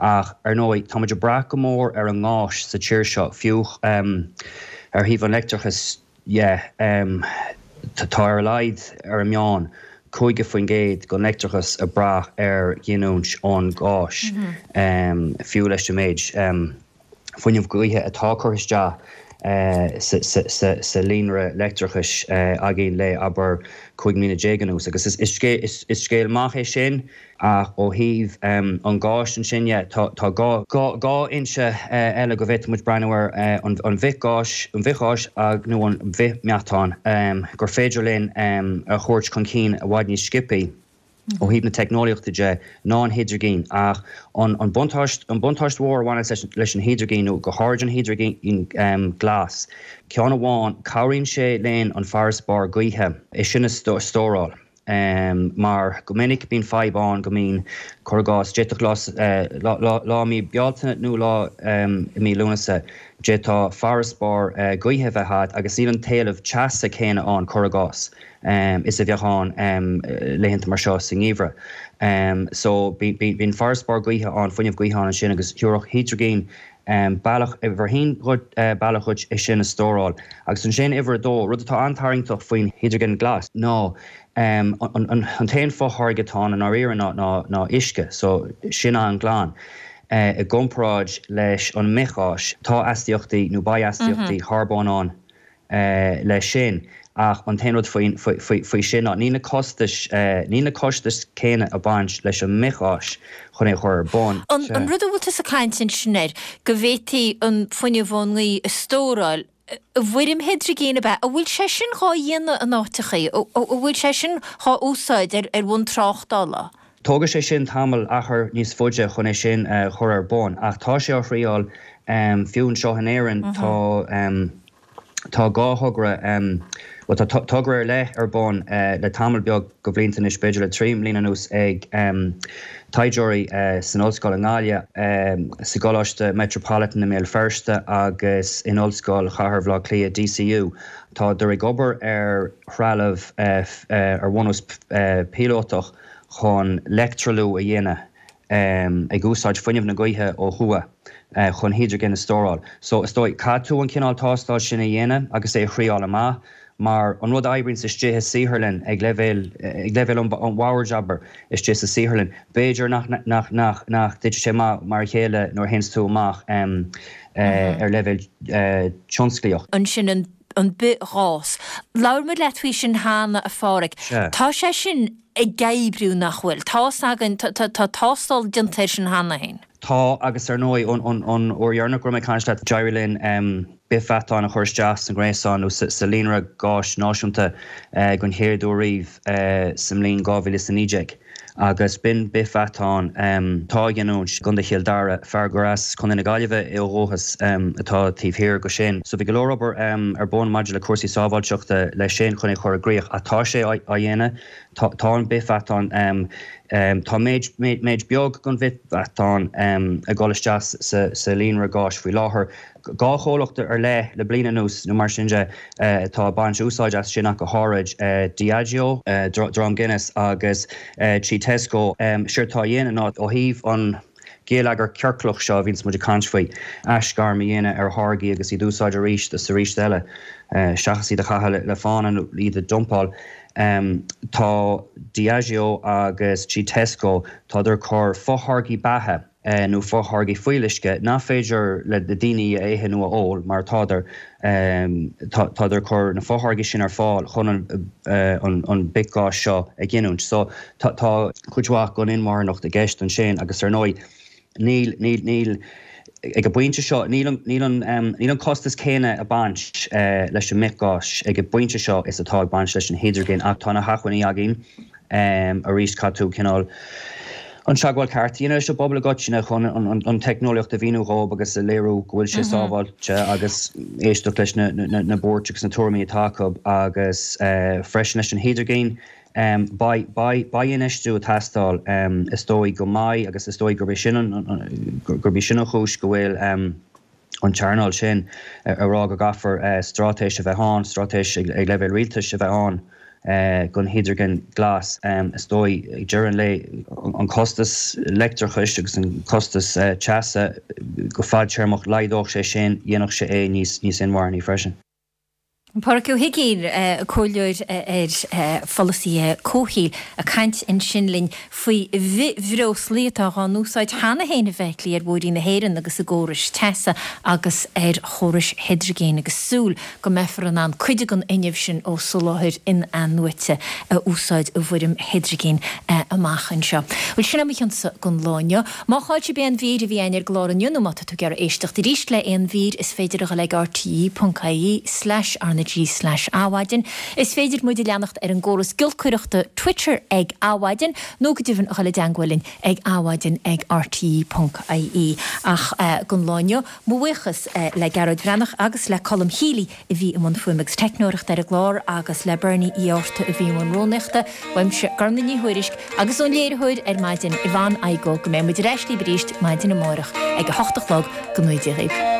Ach ar ndóigh, tá muid ag brath go mór ar an ngás sa tír seo, fiú ar thaobh an leictreachais dhe. Tá ar a laghad ar an meán caoga faoin gcéad den leictreachas ag brath ar ghiniúint ón gás, fiú leis an méid fuinneamh gaoithe atá curtha isteach sa líonra leictreachais againn le, abair, cúig mbliana déag anuas. Agus is scéal maith é sin. Ach ó thaobh an gháis ansin dhe, tá dhá fhoinse eile go bhféadfadh muid breathnú air, an bhithgháis, an bhithghás nó an bhithmheatán, gur féidir linn a thabhairt chun cinn i bhfad níos sciobthaí ó thaobh na teicneolaíochta de ná an hidrigin. Ach an buntáiste, an buntáiste mhór a bhaineann leis an hidrigin, nó go háirid an hidrigin glas, ceann amháin, cabhraíonn sé linn an farasbarr gaoithe, é sin a stóráil. Mar go minic bíonn fadhb ann go mbíonn, cuir i gcás, d'fhéadfadh lá lá i mí Bealtaine nó lá i mí Lúnasa, d'fhéadfadh farasbarr gaoithe a bheith agat agus níl an t-éileamh teasa céanna ann, cuir i gcás, is a bheadh ann laethanta mar seo sa ngeimhreadh. So bíonn farasbarr gaoithe ann, fuinneamh gaoithe ann ansin agus thabharfadh hidrigin bealach, uimhir a haon bealach dhuit é sin a stóráil. Agus ansin uimhir a dó, rud atá an-tarraingteach faoin hidrigin glas ná an t-aon fotháirge atá ann i ndáiríre ná uisce, so sin an-ghlan. I gcomparáid leis an mbithghás, tá astaíochtaí nó beidh astaíochtaí carbóin ann leis sin. Ach an t-aon rud faoi sin ná níl na costais, níl na costais céanna ag baint leis an mbithghás chun é a chur ar bun. An rud a bhfuil tusa ag caint ansin air, go bhféadfaí an fuinneamh ón ngaoth a stóráil i bhfoirm hidrigine ab ea? An bhfuil sé sin dhá dhéanamh in áiteachaí? An bhfuil sé sin dhá úsáid ar bhonn tráchtála? Tógfaidh sé sin tamall achar níos faide chun é sin a chur ar bun ach tá sé á thriáil fiú anseo in Éirinn. Tá. Tá dhá thogra, bhuel tá togra ar leith ar bun le tamall beag de bhlianta anois, b'fhéidir le trí mbliana anuas, ag taighdeoirí san Ollscoil i nGaillimh, sa gColáiste Metropolitan i mBéal Feirste agus in Ollscoil Chathair Bhaile Átha Cliath, DCU. Tádar ag obair ar threalamh ar bhunús píolótach chun leictrealú a dhéanamh. ag úsáid fuinneamh na gaoithe ó thuaidh chun hidrigin a stóráil. So, is dóigh, caithfidh tú an cineál tástáil sin a dhéanamh agus é a thriáil amach, mar an rud a oibríonns istigh i saotharlann ag leibhéal, ag leibhéal an bhoird, abair, istigh sa saotharlann, b'fhéidir nach, nach, nach, nach dtitfidh sé amach mar a chéile nuair a théanns tú amach ar leibhéal tionsclaíoch. Ansin an, an bithghás. Labhair muid leat faoi sin cheana, a Phádhraic. Sea. Tá sé sin ag oibriú, nach bhfuil? Tá's againn, tá tástáil déanta air sin cheana féin. Tá, agus ar ndóigh, an uair dheireanach go raibh mé ag caint leat, d'éirigh linn bithmheatán a chur isteach sa ngréasán nó sa líonra gáis náisiúnta den chéad uair riamh sa mbliain dhá mhíle is a naoi déag. Agus b'in bithmheatán atá á ghiniúint i gContae Chill Dara, fear gur as Contae na Gaillimhe é ó dhúchas atá taobh thiar de sin. So bhí go leor obair ar bun maidir le cúrsaí sábháilteachta leis sin chun é a chur i gcrích ach tá sé á dhéanamh. Tá an bithmheatán, tá méid méid beag den bhithmheatán ag dul isteach sa líonra gáis faoi láthair. Dhá chomhlacht ar leith le bliain anuas nó mar sin de atá ag baint úsáid as sin ach go háirid, Diageo, Dream Guinness agus trí Tesco. Séard atá á dhéanamh ná ó thaobh an geilleagar ciorclach seo a bhíonns muid ag caint faoi, aisghairm a dhéanamh ar tháirgí agus iad a úsáid arís is arís eile seachas iad a chaitheamh le fána nó iad a dumpáil. Tá Diageo agus trí Tesco, tádar ag cur fotháirgí beatha, nó fotháirgí fuíolluisce nach féidir le daoine a ithe nó a ól mar tádar, tádar ag cur na fotháirgí sin ar fáil chun an bithghás seo a ghiniúint. So tá cuid mhaith den inmharthanacht i gceist ansin agus ar ndóigh níl, níl, níl, ag an bpointe seo, níl an, níl an, níl an costas céanna ag baint leis an mbithghás ag an bpointe seo is atá ag baint leis an hidrigin ach tá na hacmhainní againn. Arís caithfidh tú cineál an teagmháil ceart a dhéanamh leis an bpobal i gcoitinne chun an teicneolaíocht a mhíniú dhóibh agus a léiriú go bhfuil sé sábháilte agus éisteacht leis na buairtí agus na tuairimí atá acu agus freisin leis an hidrigin. Beidh infheistiú ag teastáil is dóigh go mbeidh agus is dóigh gurb é sin gurb í sin an chúis go bhfuil an t-earnáil sin ag rá go gcaithfear straitéis a bheith ann, straitéis ag leibhéal rialtais a bheith ann don hidrigin glas. Is dóigh, ag deireadh an lae, an costas leictreachais agus an costas teasa go fadtéarmach, laghdódh sé sin, dhéanfadh sé é níos inmharthanaí freisin. Pádraig Ó hUiginn, Comhairleoir ar pholasaithe comhshaoil, ag caint ansin linn faoi bhithbhreoslaí atá á n-úsáid cheana féin i bhfeithiclí ar bhóithrí na hÉireann agus i gcórais teasa agus ar chórais hidrigine agus súil go mbeifear in ann cuid den fhuinneamh sin ó soláthair in-athnuaite a úsáid i bhfoirm hidrigine amach anseo. Bhuel, sin é mo chionsa don lá inniu. Má chaill sibh aon mhír a bhí againn ar an gclár inniu nó má tá tú ag iarraidh éisteacht arís le aon mhír is féidir a dhul ag rte ponc ie slash RnaG slash Adhmhaidin. Is féidir muid a leanacht ar an gcóras giolcaireachta Twitter ag Adhmhaidin nó go deimhin a dhul i dteangmháil linn ag adhmhaidin ag rte ponc ie. Ach don lá inniu, mo bhuíochas le Gearóid Breathnach agus le Colm Healy a bhí i mbun fuaime agus teicneoireachta ar an gclár agus le Bernie Uí Fhátharta a bhí i mbun rúnaíochta. Uaimse, Gormlaith Ní Thuairisg, agus ón léiritheoir ar maidin, Yvonne Igoe, go mbeidh muid ar ais libh arís maidin amárach ag a hocht a chlog go ngnóthaí Dia dhaoibh.